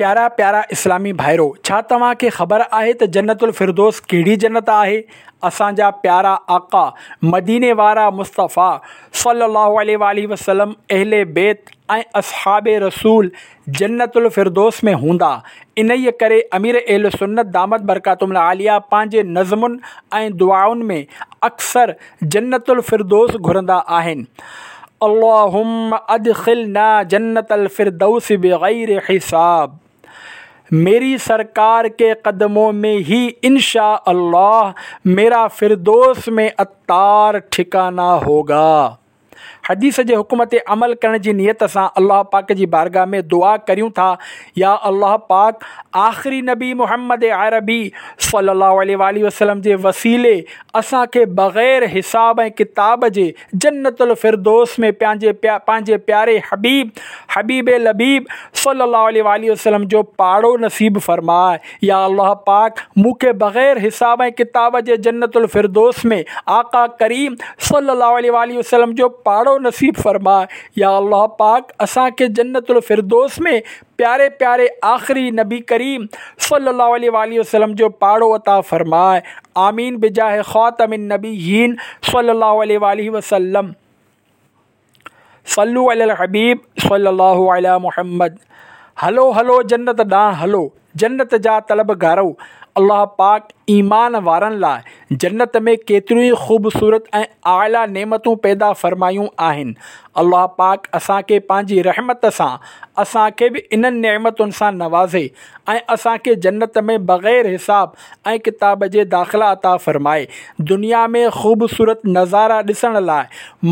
پيارا پيارا اسلامي ڀائرو! ڇا توهان کي خبر آهي ته جنت الفردوس ڪهڙي جنت آهي؟ اسان جا پيارا آقا، مديني وارا مصطفيٰ صلّي اللّٰه عليه واٰله وسلّم، اهل بيت ۽ اصحاب رسول جنت الفردوس ۾ هوندا، انهيء ڪري امير اهل سنت دامت برڪاتهم العاليه پنهنجي نظمن ۽ دعائن ۾ اڪثر جنت الفردوس گهرندا آهن. اللهم ادخلنا جنت الفردوس بغير حساب ميري سرڪار ڪي قدمون ۾ هي انشاء الله ميرا فردوس ۾ عطار ٺڪانا هوگا. حديث جي حڪم تي عمل ڪرڻ جي نيت سان الله پاڪ جي بارگاھ ۾ دعا ڪريون ٿا يا الله پاڪ آخري نبي محمد عربي صلي الله عليه واٰله وسلم جي وسيلي اسان کي بغير حساب ۽ ڪتاب جي جنت الفردوس ۾ پنهنجي پنهنجي پياري حبيب حبيب لبيب صلي الله عليه واٰله وسلم جو پاڙو نصيب فرماء يا الله پاڪ مون کي بغير حساب ۽ ڪتاب جي جنت الفردوس ۾ آقا ڪريم صلي الله عليه واٰله وسلم جو پاڙو نصيب فرماء يا الله پاڪ اسان کي جنت الفردوس ۾ پياري پياري آخري نبي ڪريم صلي الله عليه واٰله وسلم جو پاڙو عطا فرماء آمين بجاه خاتم النبيين صلي الله عليه واٰله وسلم صلو علي الحبيب صلي الله علي محمد هلو هلو جنت ڏانهن هلو جنت جا طلبگارو الله پاڪ ايمان وارن لاء جنت ۾ ڪيتريون ئي خوبصورت ۽ اعليٰ نعمتون پيدا فرمايون آهن. الله پاڪ اسان کي پنهنجي رحمت سان اسان کي به انهن نعمتن سان نوازي ۽ اسان کي جنت ۾ بغير حساب ۽ ڪتاب جي داخلا عطا فرمائي. دنيا ۾ خوبصورت نظارا ڏسڻ لاء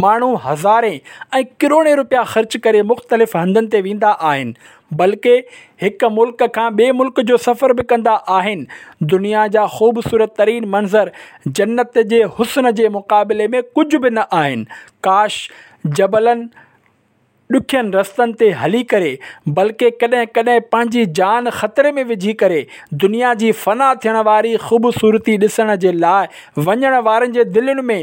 ماڻهو هزارين ۽ ڪروڙين روپيا خرچ ڪري مختلف هنڌن تي ويندا آهن. بلڪه هڪ ملڪ کان ٻئي ملڪ جو سفر به ڪندا آهن. دنيا جا خوبصورت ترين منظر جنت جي حسن جي مقابلي ۾ ڪجهه به نه آهن. ڪاش! جبلن، ڏکين رستن تي هلي ڪري، بلڪه ڪڏهن ڪڏهن پنهنجي جان خطري ۾ وجهي ڪري دنيا جي فنا ٿيڻ واري خوبصورتي ڏسڻ جي لاء وڃڻ وارن جي دلين ۾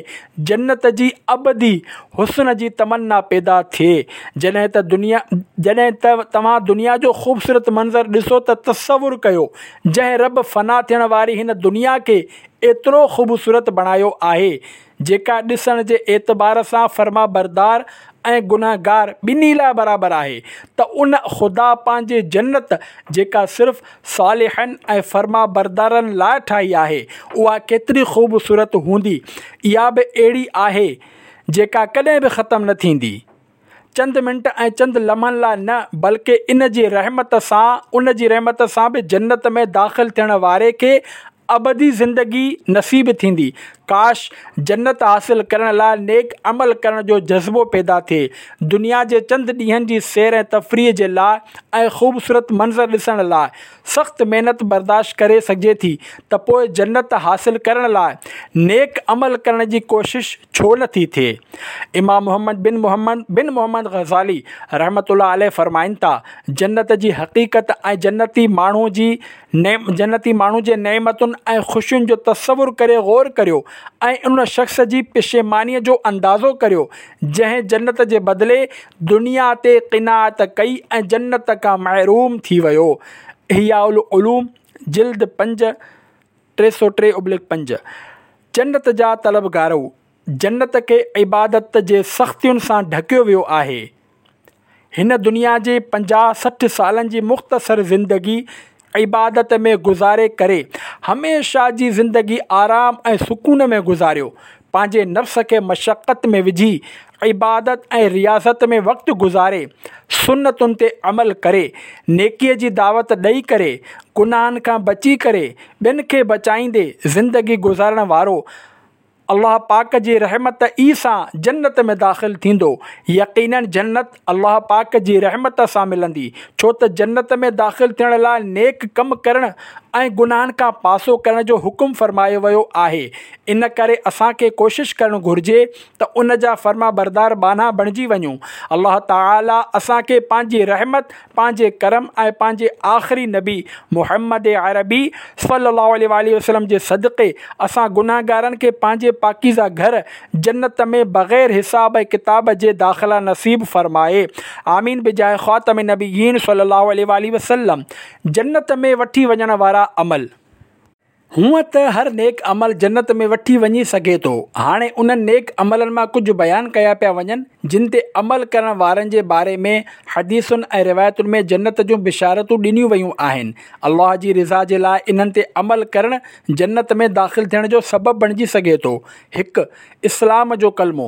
جنت جي ابدي حسن جي تمنا پيدا ٿئي. جڏهن ته دنيا جڏهن ته توهان دنيا جو خوبصورت منظر ڏسو ته تصور ڪيو جنهن رب فنا ٿيڻ واري هن دنيا کي ايترو خوبصورت بڻايو آهي جيڪا ڏسڻ جي اعتبار سان فرمانبردار ۽ گنهگار ٻنهي لاء برابر آهي ته ان خدا پنهنجي جنت جيڪا صرف صالحن ۽ فرمانبردارن لاء ٺاهي آهي اها ڪيتري خوبصورت هوندي اها به اهڙي آهي جيڪا ڪڏهن به ختم نه ٿيندي. چند منٽ ۽ چند لمحن لاء نه بلڪه ان جي رحمت سان ان جي رحمت سان به جنت ۾ داخل ٿيڻ واري کي ابدي زندگي نصيب ٿيندي. ڪاش! جنت حاصل ڪرڻ لاء نيڪ عمل ڪرڻ جو جذبو پيدا ٿئي. دنيا جي چند ڏينهن جي سير ۽ تفريح جي لاء ۽ خوبصورت منظر ڏسڻ لاء سخت محنت برداشت ڪري سگهجي ٿي ته پوء جنت حاصل ڪرڻ لاء نيڪ عمل ڪرڻ جي ڪوشش ڇو نه ٿي ٿئي؟ امام محمد بن محمد بن محمد غزالي رحمة الله عليه فرمائن ٿا، جنت جي حقيقت ۽ جنتي ماڻهو جي جنتي ماڻهو جي نعمتن ۽ خوشين جو تصور ڪري غور ڪريو ۽ ان شخص جي پشيمانيء جو اندازو ڪريو جنهن جنت جي بدلي دنيا تي قناعت ڪئي ۽ جنت کان محروم ٿي ويو. احياء العلوم جلد 5، 303/5. جنت جا طلبگارؤ! جنت کي عبادت جي سختين سان ڍڪيو ويو آهي. هن دنيا جي 50 60 سالن جي مختصر زندگي عبادت ۾ گذاري ڪري هميشه جي زندگي آرام ۽ سڪون ۾ گذاريو. پنهنجي نفس کي مشقت ۾ وجهي عبادت ۽ رياضت ۾ وقت گذاري، سنتن تي عمل ڪري، نيڪيء جي دعوت ڏئي ڪري، گناهن کان بچي ڪري، ٻين کي بچائيندي زندگي گذارڻ وارو الله پاڪ جي رحمت ئي سان جنت ۾ داخل ٿيندو. يقيناً جنت الله پاڪ جي رحمت سان ملندي، ڇو ته جنت ۾ داخل ٿيڻ لاء نيڪ ڪم ڪرڻ ۽ گناهن کان پاسو ڪرڻ جو حڪم فرمايو ويو آهي. ان ڪري اسان کي ڪوشش ڪرڻ گهرجي ته ان جا فرمانبردار ٻانها بڻجي وڃون. الله تعالي اسان کي پنهنجي رحمت، پنهنجي ڪرم ۽ پنهنجي آخري نبي محمد عربي صلي الله عليه واٰله وسلم جي صدقي اسان گنهگارن کي پنهنجي پاڪيزه گهر جنت ۾ بغير حساب ۽ ڪتاب جي داخلا نصيب فرمائي. آمين بجاه خاتم النبيين صلي الله عليه واٰله وسلم. جنت ۾ وٺي وڃڻ وارا عمل. هونء ته هر نيڪ عمل جنت ۾ وٺي وڃي سگهي ٿو. هاڻي انهن نيڪ عملن مان ڪجهه بيان ڪيا پيا وڃن، جن تي عمل ڪرڻ وارن جي باري ۾ حديثن ۽ روايتن ۾ جنت جون بشارتون ڏنيون ويون آهن. الله جي رضا جي لاء انهن تي عمل ڪرڻ جنت ۾ داخل ٿيڻ جو سبب بڻجي سگهي ٿو. هڪ. اسلام جو ڪلمو،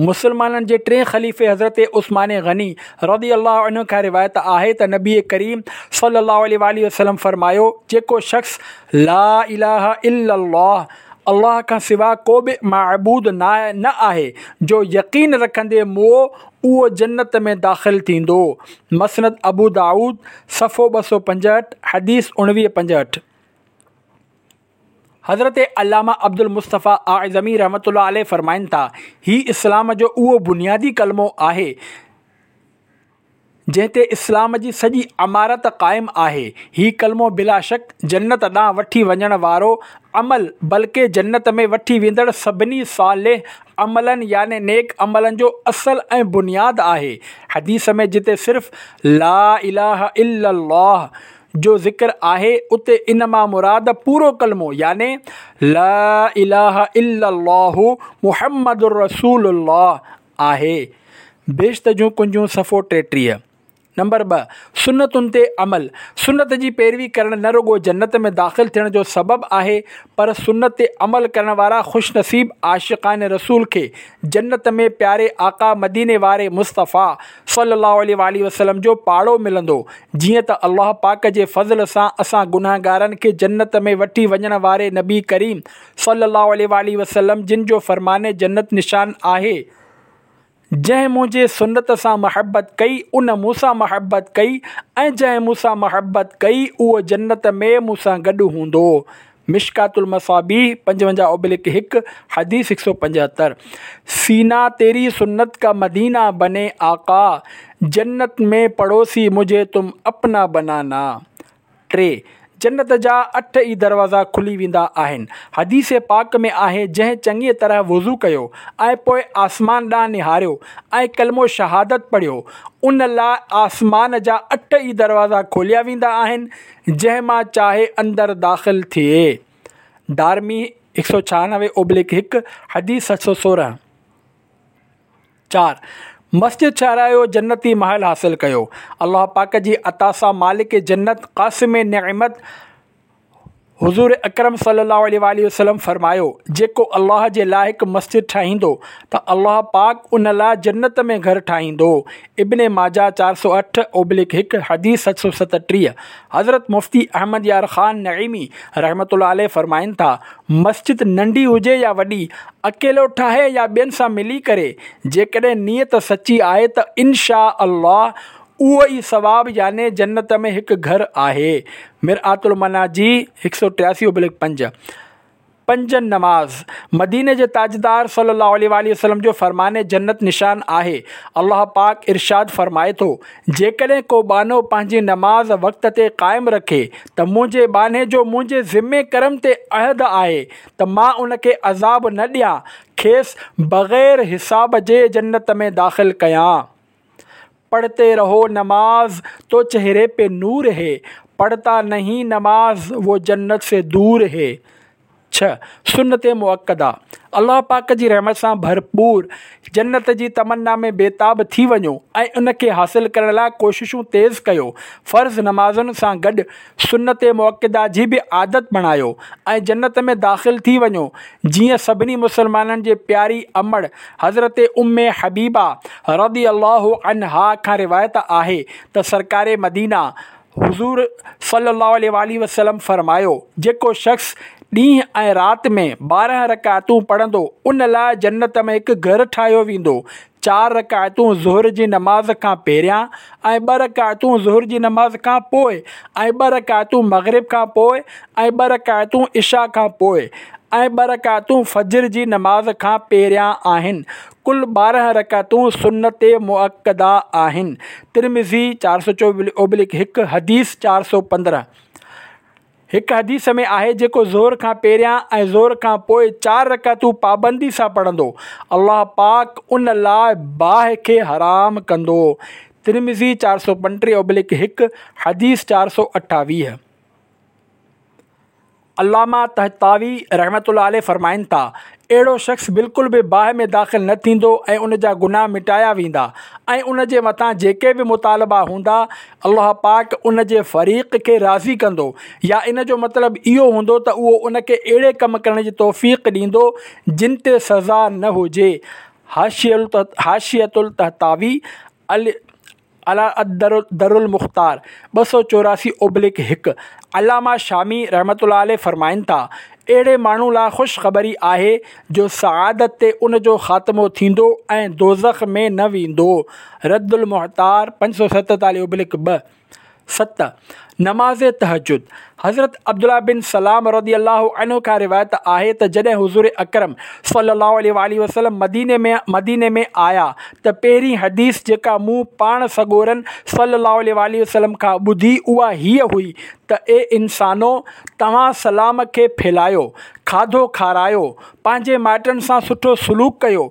مسلمانن جي ٽئين خليفي حضرت عثمان غني رضي الله عنه کان روايت آهي ته نبي ڪريم صلي الله عليه واٰله وسلم فرمايو، جيڪو شخص لا اله الا الله، الله کان سوا ڪو به معبود نه آهي، جو يقين رکندي موئو اهو جنت ۾ داخل ٿيندو. مسند ابو دائود، صفحو 265، حديث 19 65. حضرت علامه عبدالمصطفيٰ اعظمي رحمة الله عليه فرمائن ٿا، هي اسلام جو اهو بنيادي ڪلمو آهي، جنهن تي اسلام جي سڄي عمارت قائم آهي. هي ڪلمو بلاشڪ جنت ڏانهن وٺي وڃڻ وارو عمل بلڪه جنت ۾ وٺي ويندڙ سڀني صالح عملن يعني نيڪ عملن جو اصل ۽ بنياد آهي. حديث ۾ جتي صرف لا اله الا الله جو ذڪر آهي اتي ان مان مراد پورو ڪلمو يعني لا اله الا الله محمد رسول الله آهي. بهشت جون ڪنجون صفحو 33. نمبر 2، سنتن تي عمل، سنت جي پيروي ڪرڻ نه رڳو جنت ۾ داخل ٿيڻ جو سبب آهي پر سنت تي عمل ڪرڻ وارا خوش نصيب عاشقان رسول کي جنت ۾ پياري آقا مديني واري مصطفيٰ صلي الله عليه واٰله وسلم جو پاڙو ملندو جيئن ته الله پاڪ جي فضل سان اسان گنهگارن کي جنت ۾ وٺي وڃڻ واري نبي ڪريم صلي الله عليه واٰله وسلم جن جو فرمان جنت نشان آهي. جنهن منهنجي سنت سان محبت ڪئي ان مون سان محبت ڪئي ۽ جنهن مون سان محبت ڪئي اهو جنت ۾ مون سان گڏ هوندو. مشڪات المصابيح 55/1، حديث 175. سينا تيري سنت کا مدينه بني آقا، جنت ۾ پڙوسي مجهي تم اپنا بنانا. 3، جنت جا اٺ ئي دروازا کلي ويندا آهن. حديث پاڪ ۾ آهي، جنهن چڱيء طرح وضو ڪيو ۽ پوء آسمان ڏانهن نهاريو ۽ ڪلمو شهادت پڙهيو، ان لاء آسمان جا اٺ ئي دروازا کوليا ويندا آهن، جنهن مان چاهي اندر داخل ٿئي. دارمي 196/1، حديث 716. 4، مسجد ٺهرايو جنتي محل حاصل ڪيو. الله پاڪ جي عطا سان مالڪ جنت قاسم نعمت حضور اڪرم صلي الله عليه واٰله وسلم فرمايو، جيڪو الله جي لاء هڪ مسجد ٺاهيندو ته الله پاڪ ان لاء جنت ۾ گهر ٺاهيندو. ابن ماجه 408/1، حديث 737. حضرت مفتي احمد يار خان نعيمي رحمة الله عليه فرمائن ٿا، مسجد ننڍي هجي يا وڏي، اڪيلو ٺاهي يا ٻين سان ملي ڪري، جيڪڏهن نيت سچي آهي ته ان شاء الله اهو ئي ثواب يعني جنت ۾ هڪ گهر آهي. مرآة المناجي 183/5. پنج نماز مديني جي تاجدار صلي الله عليه واٰله وسلم جو فرمان جنت نشان آهي. الله پاڪ ارشاد فرمائي ٿو، جيڪڏهن ڪو ٻانهو پنهنجي نماز وقت تي قائم رکي ته منهنجي ٻانهي جو منهنجي ذمي ڪرم تي عهد آهي ته مان ان کي عذاب نه ڏيان کيس بغير حساب جي جنت ۾ داخل ڪيان. پڙهتي رهو نماز تو چهري پي نور هي، پڙهتا نهين نماز وو جنت سي دور هي. 6، سنت مؤڪده، الله پاڪ جي رحمت سان ڀرپور جنت جي تمنا ۾ بيتاب ٿي وڃو ۽ ان کي حاصل ڪرڻ لاء ڪوششون تيز ڪيو. فرض نمازن سان گڏ سنت مؤڪده جي به عادت بڻايو ۽ جنت ۾ داخل ٿي وڃو جيئن سڀني مسلمانن جي پياري امڙ حضرت ام حبيبه رضي الله عنها کان روايت آهي ته سرڪار مدينه حضور صلي الله عليه واٰله وسلم فرمايو، جيڪو شخص ڏينهن ۽ رات ۾ 12 رڪعتون پڙهندو ان لاء جنت ۾ هڪ گهر ٺاهيو ويندو، چار رڪعتون ظهر جي نماز کان پهريان ۽ ٻه رڪعتون ظهر جي نماز کان پوء ۽ ٻه رڪعتون مغرب کان پوء ۽ ٻه رڪعتون عشاء کان پوء ۽ ٻه رڪعتون فجر جي نماز کان پهريان آهن، ڪل 12 رڪعتون سنت مؤڪده آهن. ترمذي 424/1، حديث 415. هڪ حديث ۾ آهي جيڪو ظهر کان پهريان ۽ ظهر کان پوء چار رڪعتون پابندي سان پڙهندو، الله پاڪ ان لاء باهه کي حرام ڪندو. ترمذي 435/1، حديث 428. علامه طحطاوي رحمة الله عليه فرمائن ٿا، اهڙو شخص بلڪل به باهه ۾ داخل نه ٿيندو ۽ ان جا گناهه مٽايا ويندا ۽ ان جي مٿان جيڪي به مطالبا هوندا الله پاڪ ان جي فريق کي راضي ڪندو يا ان جو مطلب اهو هوندو ته اهو ان کي اهڙي ڪم ڪرڻ جي توفيق ڏيندو جن تي سزا نه هجي حاشية الطحطاوي علي الدر المختار 284/1، علامه شامي رحمة الله عليه فرمائن ٿا، اهڙي ماڻهو لاء خوشخبري آهي جو سعادت تي ان جو خاتمو ٿيندو ۽ دوزخ ۾ نه ويندو. رد المحتار 547/2. 7، نماز تهجد، حضرت عبدالله بن سلام رضي الله عنه کان روايت آهي ته جڏهن حضور اڪرم صلي الله عليه واٰله وسلم مديني ۾ مديني ۾ آيا ته پهرين حديث جيڪا مون پاڻ سڳورن صلي الله عليه واٰله وسلم کان ٻڌي اها هيء هئي ته اي انسانو! توهان سلام کي ڦهلايو، کاڌو کارايو، پنهنجي مائٽن سان سٺو سلوڪ ڪيو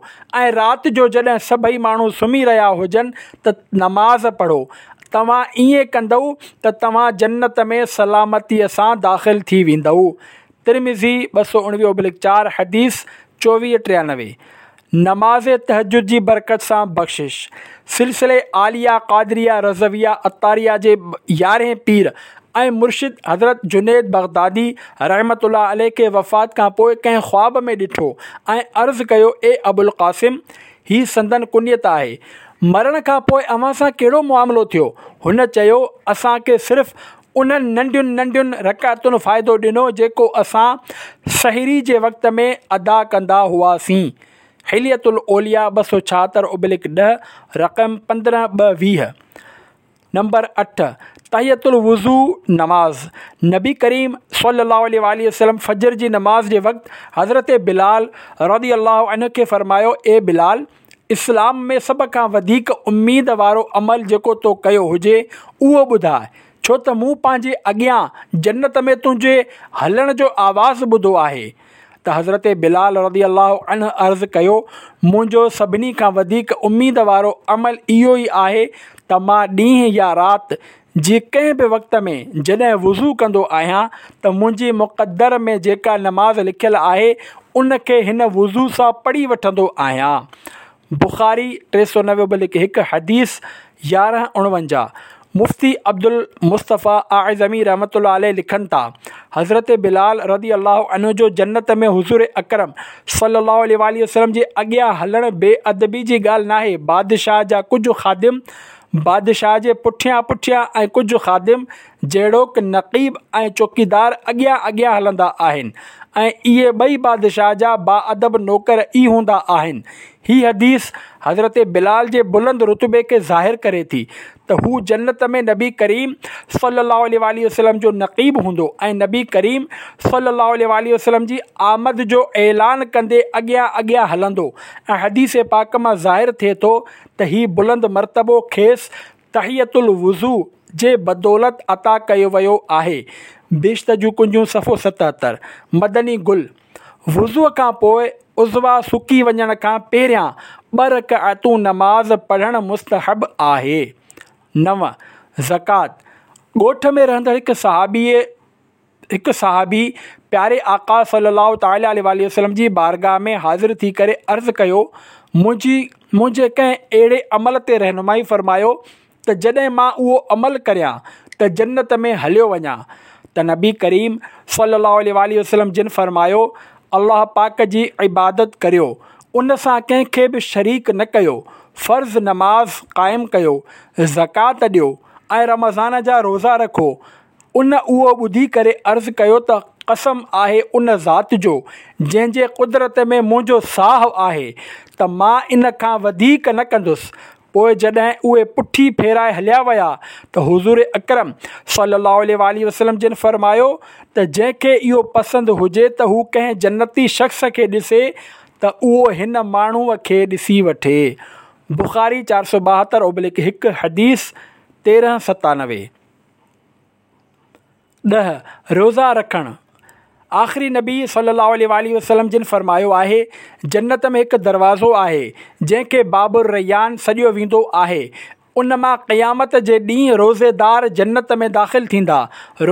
۽ رات جو جڏهن سڀئي ماڻهو سمهي رهيا هجن ته نماز پڙهو توهان ائين ڪندؤ ته توهان جنت ۾ سلامتيء سان داخل ٿي ويندؤ. ترمذي 219/4 حديث 24 93. نماز تهجد جي برڪت سان بخشش. سلسلي عاليه قادريه رضويه عطاريه جي يارهين پير ۽ مرشد حضرت جنيد بغدادي رحمة الله عليه کي وفات کان پوء ڪنهن خواب ۾ ڏٺو ۽ عرض ڪيو اي ابوالقاسم! هي سندن ڪنيت آهي. مرڻ کان پوء اوهان سان ڪهڙو معاملو ٿيو؟ هن چيو، اسان کي صرف انهن ننڍين ننڍين رڪعتن فائدو ڏنو جيڪو اسان سحري جي وقت ۾ ادا ڪندا هئاسين. حلية الاولياء 276 ابلڪ 10، رقم 15 ٻه 20. نمبر 8، تحية الوضو نماز، نبي ڪريم صلي الله عليه واٰله وسلم فجر جي نماز جي وقت حضرت بلال رضي الله عنه کي فرمايو، اي بلال! اسلام ۾ سڀ کان وڌيڪ اميد وارو عمل جيڪو تو ڪيو هجي اهو ٻڌاء، ڇو ته مون پنهنجي اڳيان جنت ۾ تنهنجي هلڻ جو آواز ٻڌو آهي. ته حضرت بلال رضي الله عنه عرض ڪيو، منهنجو سڀني کان وڌيڪ اميد وارو عمل اهو ئي آهي ته مان ڏينهن يا رات جي ڪنهن به وقت ۾ جڏهن وضو ڪندو آهيان ته منهنجي مقدر ۾ جيڪا نماز لکيل آهي ان کي هن وضو سان پڙهي وٺندو آهيان. بخاري 390 ابلڪ هڪ، حديث 1149، مفتي عبدالمصطفيٰ اعظمي رحمة الله عليه لکن ٿا، حضرت بلال رضي الله عنه جو جنت ۾ حضور اڪرم صلي الله عليه واٰله وسلم جي اڳيان هلڻ بي ادبي جي ڳالهه ناهي، بادشاهه جا ڪجهه خادم بادشاهه جي پٺيان پٺيان ۽ ڪجهه خادم جهڙوڪ نقيب ۽ چوڪيدار اڳيان اڳيان هلندا آهن ۽ اهي ٻئي بادشاهه جا باادب نوڪر ئي هوندا آهن. هي حديث حضرت بلال جي بلند رتبي کي ظاهر ڪري ٿي ته هو جنت ۾ نبي ڪريم صلي الله عليه واٰله وسلم جو نقيب هوندو ۽ نبي ڪريم صلي الله عليه واٰله وسلم جي آمد جو اعلان ڪندي اڳيان اڳيان هلندو ۽ حديث پاڪ مان ظاهر ٿئي ٿو ته هي بلند مرتبو کيس تحية الوضو جي بدولت عطا ڪيو ويو آهي. بهشت جون ڪنجون صفحو 77. مدني گل، وضوء کان پوء عضوا سڪي وڃڻ کان پهريان ٻه رڪعتون نماز پڙهڻ مستحب آهي. 9، زڪوات، ڳوٺ ۾ رهندڙ هڪ صحابيء هڪ صحابي پياري آقا صلّي الله تعالٰي عليه واٰله وسلّم جي بارگاھ ۾ حاضر ٿي ڪري عرض ڪيو، منهنجي منهنجي ڪنهن اهڙي عمل تي رهنمائي فرمايو ته جڏهن مان اهو عمل ڪريان ته جنت ۾ هليو وڃان ته نبي ڪريم صلّي الله عليه واٰله وسلّم جن فرمايو، الله پاڪ جي عبادت ڪريو، ان سان ڪنهن کي به شريڪ نه ڪيو، فرض نماز قائم ڪيو، زڪوات ڏيو ۽ رمضان جا روزا رکو، ان اهو ٻڌي ڪري عرض ڪيو ته قسم آهي ان ذات جو جنهن جي قدرت ۾ منهنجو ساهه آهي ته مان ان کان وڌيڪ نه ڪندس. پوء جڏهن اهي پٺي ڦيرائي هليا ويا ته حضور اڪرم صلي الله عليه واٰله وسلم جن فرمايو ته جنهن کي اهو پسند هجي ته هو ڪنهن جنتي شخص کي ڏسي ته اهو هن ماڻهوء کي ڏسي وٺي. بخاري 472 اوبلڪ هڪ، حديث 1397. 10، روزا رکڻ، آخري نبي صلي الله عليه واٰله وسلم جن فرمايو آهي، جنت ۾ هڪ دروازو آهي، جنهن کي باب الريان سڏيو ويندو آهي، ان مان قيامت جي ڏينهن روزيدار جنت ۾ داخل ٿيندا،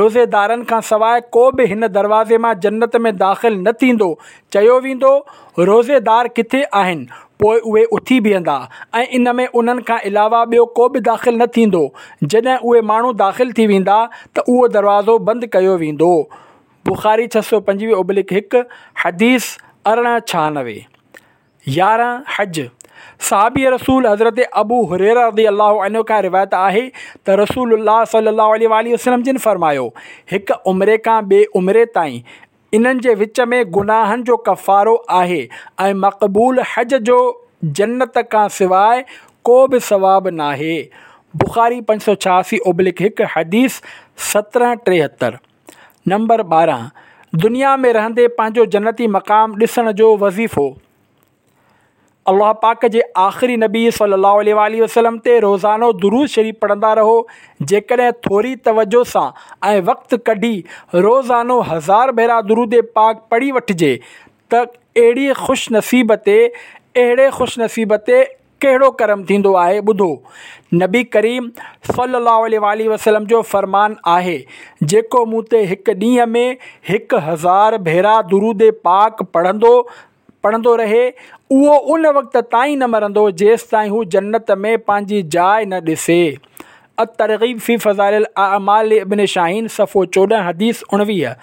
روزيدارن کان سواء ڪو به هن دروازي مان جنت ۾ داخل نه ٿيندو، چيو ويندو، روزيدار ڪٿي آهن؟ پوء اهي اٿي بيهندا ۽ ان ۾ انهن کان علاوه ٻيو ڪو به داخل نه ٿيندو. جڏهن اهي ماڻهو داخل ٿي ويندا ته اهو دروازو بند ڪيو ويندو. بخاري 625 اوبلڪ هڪ، حديث 1896. 11، حج، صحابي رسول حضرت ابو هريره رضي الله عنه کان روايت آهي ته رسول الله صلي الله عليه واٰله وسلم جن فرمايو، هڪ عمري کان ٻئي عمري تائين انهن جي وچ ۾ گناهن جو ڪفارو آهي ۽ مقبول حج جو جنت کان سواء ڪو به ثواب ناهي. بخاري 586 اوبلڪ هڪ، حديث 1773. نمبر 12. دنيا ۾ رهندي پنهنجو جنتي مقام ڏسڻ جو وظيفو. الله پاڪ جي آخري نبي صلي الله عليه واٰله وسلم تي روزانو درود شريف پڙهندا رهو، جيڪڏهن ٿوري توجه سان ۽ وقت ڪڍي روزانو هزار ڀيرا درود پاڪ پڙهي وٺجي ته اهڙي خوش نصيب تي اهڙي خوش نصيب تي ڪهڙو ڪرم ٿيندو آهي ٻڌو نبي ڪريم صلي الله عليه واٰله وسلم جو فرمان آهي جيڪو مون تي هڪ ڏينهن ۾ 1000 ڀيرا درود پاڪ پڙهندو پڙهندو رهي، اهو ان وقت تائين نه مرندو جيستائين هو جنت ۾ پنهنجي جاء نه ڏسي. الترغيب في فضائل الاعمال لابن شاهين صفحو 14 حديث 19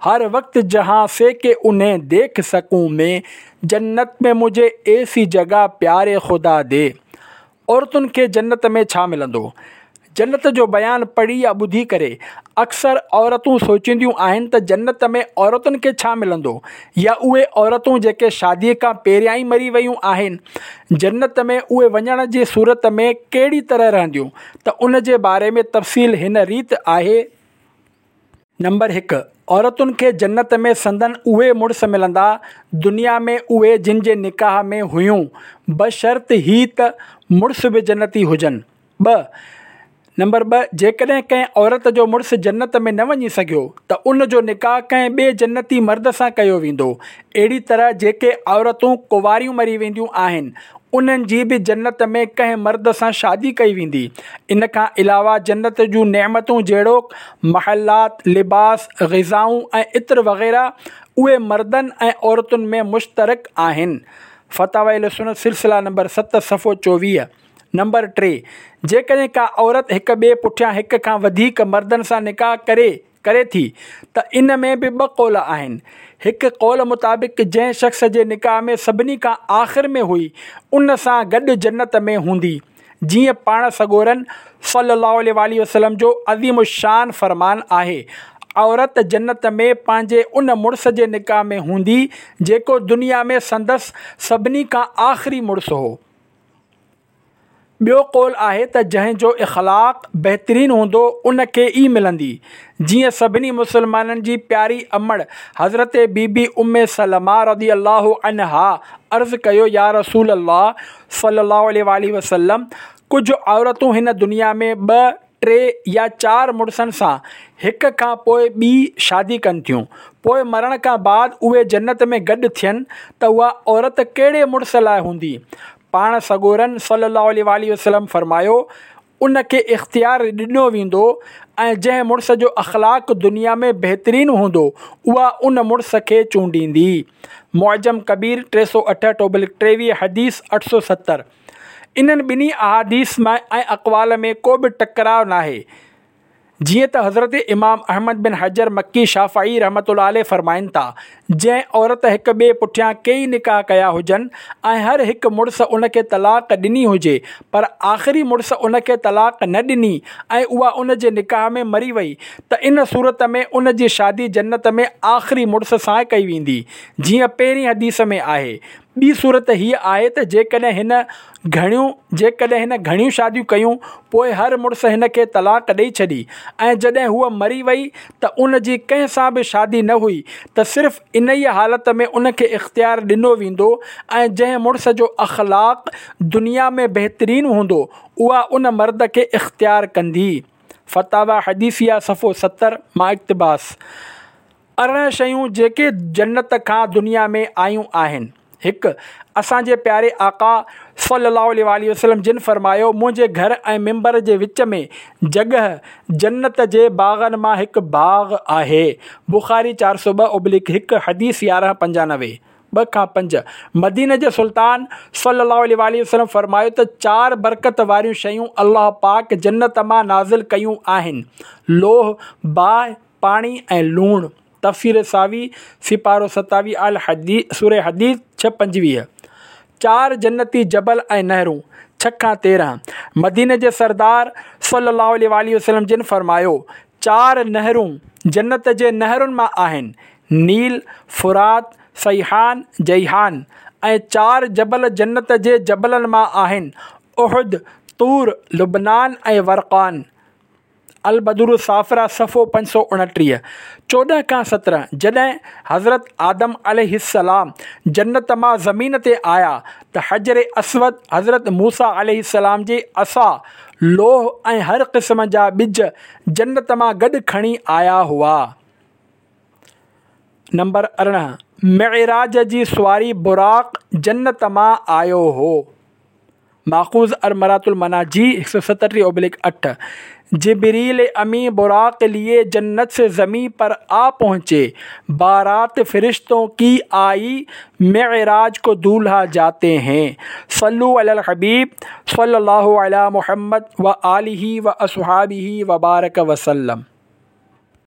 هر وقت جهان سي ڪه انهين ديک سڪون مين جنت ۾ مجهي ايسي جگه پياري خدا the. عورتن کي جنت ۾ ڇا ملندو؟ جنت جو بيان پڙهي يا ٻڌي ڪري اڪثر عورتون سوچينديون آهن ته جنت ۾ عورتن کي ڇا ملندو يا اهي عورتون جيڪي شادي کان پهريان ئي مري ويون آهن جنت ۾ اهي وڃڻ جي صورت ۾ ڪهڙي طرح رهنديون ته ان جي باري ۾ تفصيل هن ريت آهي. نمبر هڪ، عورتن کي جنت ۾ سندن اهي مڙس ملندا، دنيا ۾ اهي جن جي نڪاح ۾ هيون، بشرط هي ته مڙس به جنتي هجن. ٻه، نمبر 2، جيڪڏهن ڪنهن عورت جو مڙس جنت ۾ نه وڃي سگهيو ته ان جو نڪاح ڪنهن ٻئي جنتي مرد سان ڪيو ويندو. اهڙي طرح جيڪي عورتون ڪنواريون مري وينديون آهن، انهن جي به جنت ۾ ڪنهن مرد سان شادي ڪئي ويندي. ان کان علاوه جنت جون نعمتون جهڙوڪ، محلات، لباس، غذائون ۽ عطر وغيره اهي مردن ۽ عورتن ۾ مشترڪ آهن. فتاوي اهلسنت سلسله نمبر 7 صفحو 24. نمبر 3، جيڪڏهن ڪا عورت هڪ ٻئي پٺيان هڪ کان وڌيڪ مردن سان نڪاح ڪري، ڪري ٿي ته ان ۾ به ٻه قول آهن. هڪ قول مطابق جنهن شخص جي نڪاح ۾ سڀني کان آخر ۾ هئي ان سان گڏ جنت ۾ هوندي جيئن پاڻ سڳورن صلي الله عليه واٰله وسلم جو عظيم الشان فرمان آهي عورت جنت ۾ پنهنجي ان مڙس جي نڪاح ۾ هوندي جيڪو دنيا ۾ سندس سڀني کان آخري مڙس هو. ٻيو قول آهي ته جنهن جو اخلاق بهترين هوندو ان کي ئي ملندي. جيئن سڀني مسلمانن جي پياري امڙ حضرت بي بي ام سلمه رضي الله عنها عرض ڪيو يا رسول الله صلي الله عليه واٰله وسلم ڪجهه عورتون هن دنيا ۾ ٻه، ٽي يا چار مڙسن سان هڪ کان پوء ٻي شادي ڪن ٿيون، پوء مرڻ کان بعد اهي جنت ۾ گڏ ٿين ته اها عورت ڪهڙي مڙس لاء هوندي؟ پاڻ سڳورن صلّي اللّٰه عليه واٰله وسلّم فرمايو، ان کي اختيار ڏنو ويندو ۽ جنهن مڙس جو اخلاق دنيا ۾ بهترين هوندو اها ان مڙس کي چونڊيندي. معجم ڪبير 368 اوبلڪ 23 حديث 870. انهن ٻنهي احاديث ۾ ۽ اقوال ۾ ڪو به ٽڪراء ناهي. جيئن ته حضرت امام احمد بن حجر مڪي شافعي رحمة الله عليه فرمائن ٿا، جنهن عورت هڪ ٻئي پٺيان ڪيئي نڪاح ڪيا هجن ۽ هر هڪ مڙس ان کي طلاق ڏني هجي پر آخري مڙس ان کي طلاق نه ڏني ۽ اها ان جي نڪاح ۾ مري وئي ته ان صورت ۾ ان جي شادي جنت ۾ آخري مڙس سان ڪئي ويندي جيئن پهرين حديث ۾ آهي. ٻي صورت هيء آهي ته جيڪڏهن هن گهڻيون جيڪڏهن هن گهڻيون شاديون ڪيون، پوء هر مڙس هن کي طلاق ڏئي ڇڏي ۽ جڏهن هوء مري وئي ته ان جي ڪنهن سان به شادي نه هئي ته صرف انهيء حالت ۾ ان کي اختيار ڏنو ويندو ۽ جنهن مڙس جو اخلاق دنيا ۾ بهترين هوندو اها ان مرد کي اختيار ڪندي. فتاويٰ حديثيه صفحو 70 مان اقتباس. 18 شيون جيڪي جنت کان دنيا ۾ آيون آهن. هڪ، اسان جي پياري آقا صلّي اللّٰه عليه واٰله وسلّم جن فرمايو، منهنجي گهر ۽ منبر جي وچ ۾ جڳهه جنت جي باغن مان هڪ باغ آهي. بخاري 402/1 حديث 1195. 2 کان 5، مديني جي سلطان صلّي اللّٰه عليه واٰله وسلّم فرمايو ته چار برڪت واريون شيون الله پاڪ جنت مان نازل ڪيون آهن، لوح، باهه، پاڻي ۽ لوڻ، تفسير ساوي، سيپارو 27 الحديد، سوره حديد، 6 25. چار جنتي جبل ۽ نهرون، 6 کان 13. مديني جي سردار صلّي اللّٰه عليه واٰله وسلّم جن فرمايو، چار نهرون جنت جي نهرن مان آهن، نيل، فرات، سيحان، جيحان، ۽ چار جبل جنت جي جبلن مان آهن، احد، طور، لبنان ۽ ورقان. البدور الصافره صفحو 529، 14 کان 17، جڏهن حضرت آدم عليه السلام جنت مان زمين تي آيا ته حجر اسود حضرت موسيٰ عليه السلام جي عصا، لوح ۽ هر قسم جا ٻج جنت مان گڏ کڻي آيا هئا. نمبر 18، معراج جي سواري براق جنت مان آيو هو. ماخوذ المراة المناجي 137/8 جبريل امين براق ليي جنت سي زمين پر آ پهنچي بارات فرشتون ڪي آئي معراج ڪو دولها جاتي هين صلو علي الحبيب صلي الله علي محمد و آله و اصحابه وبارڪ وسلم.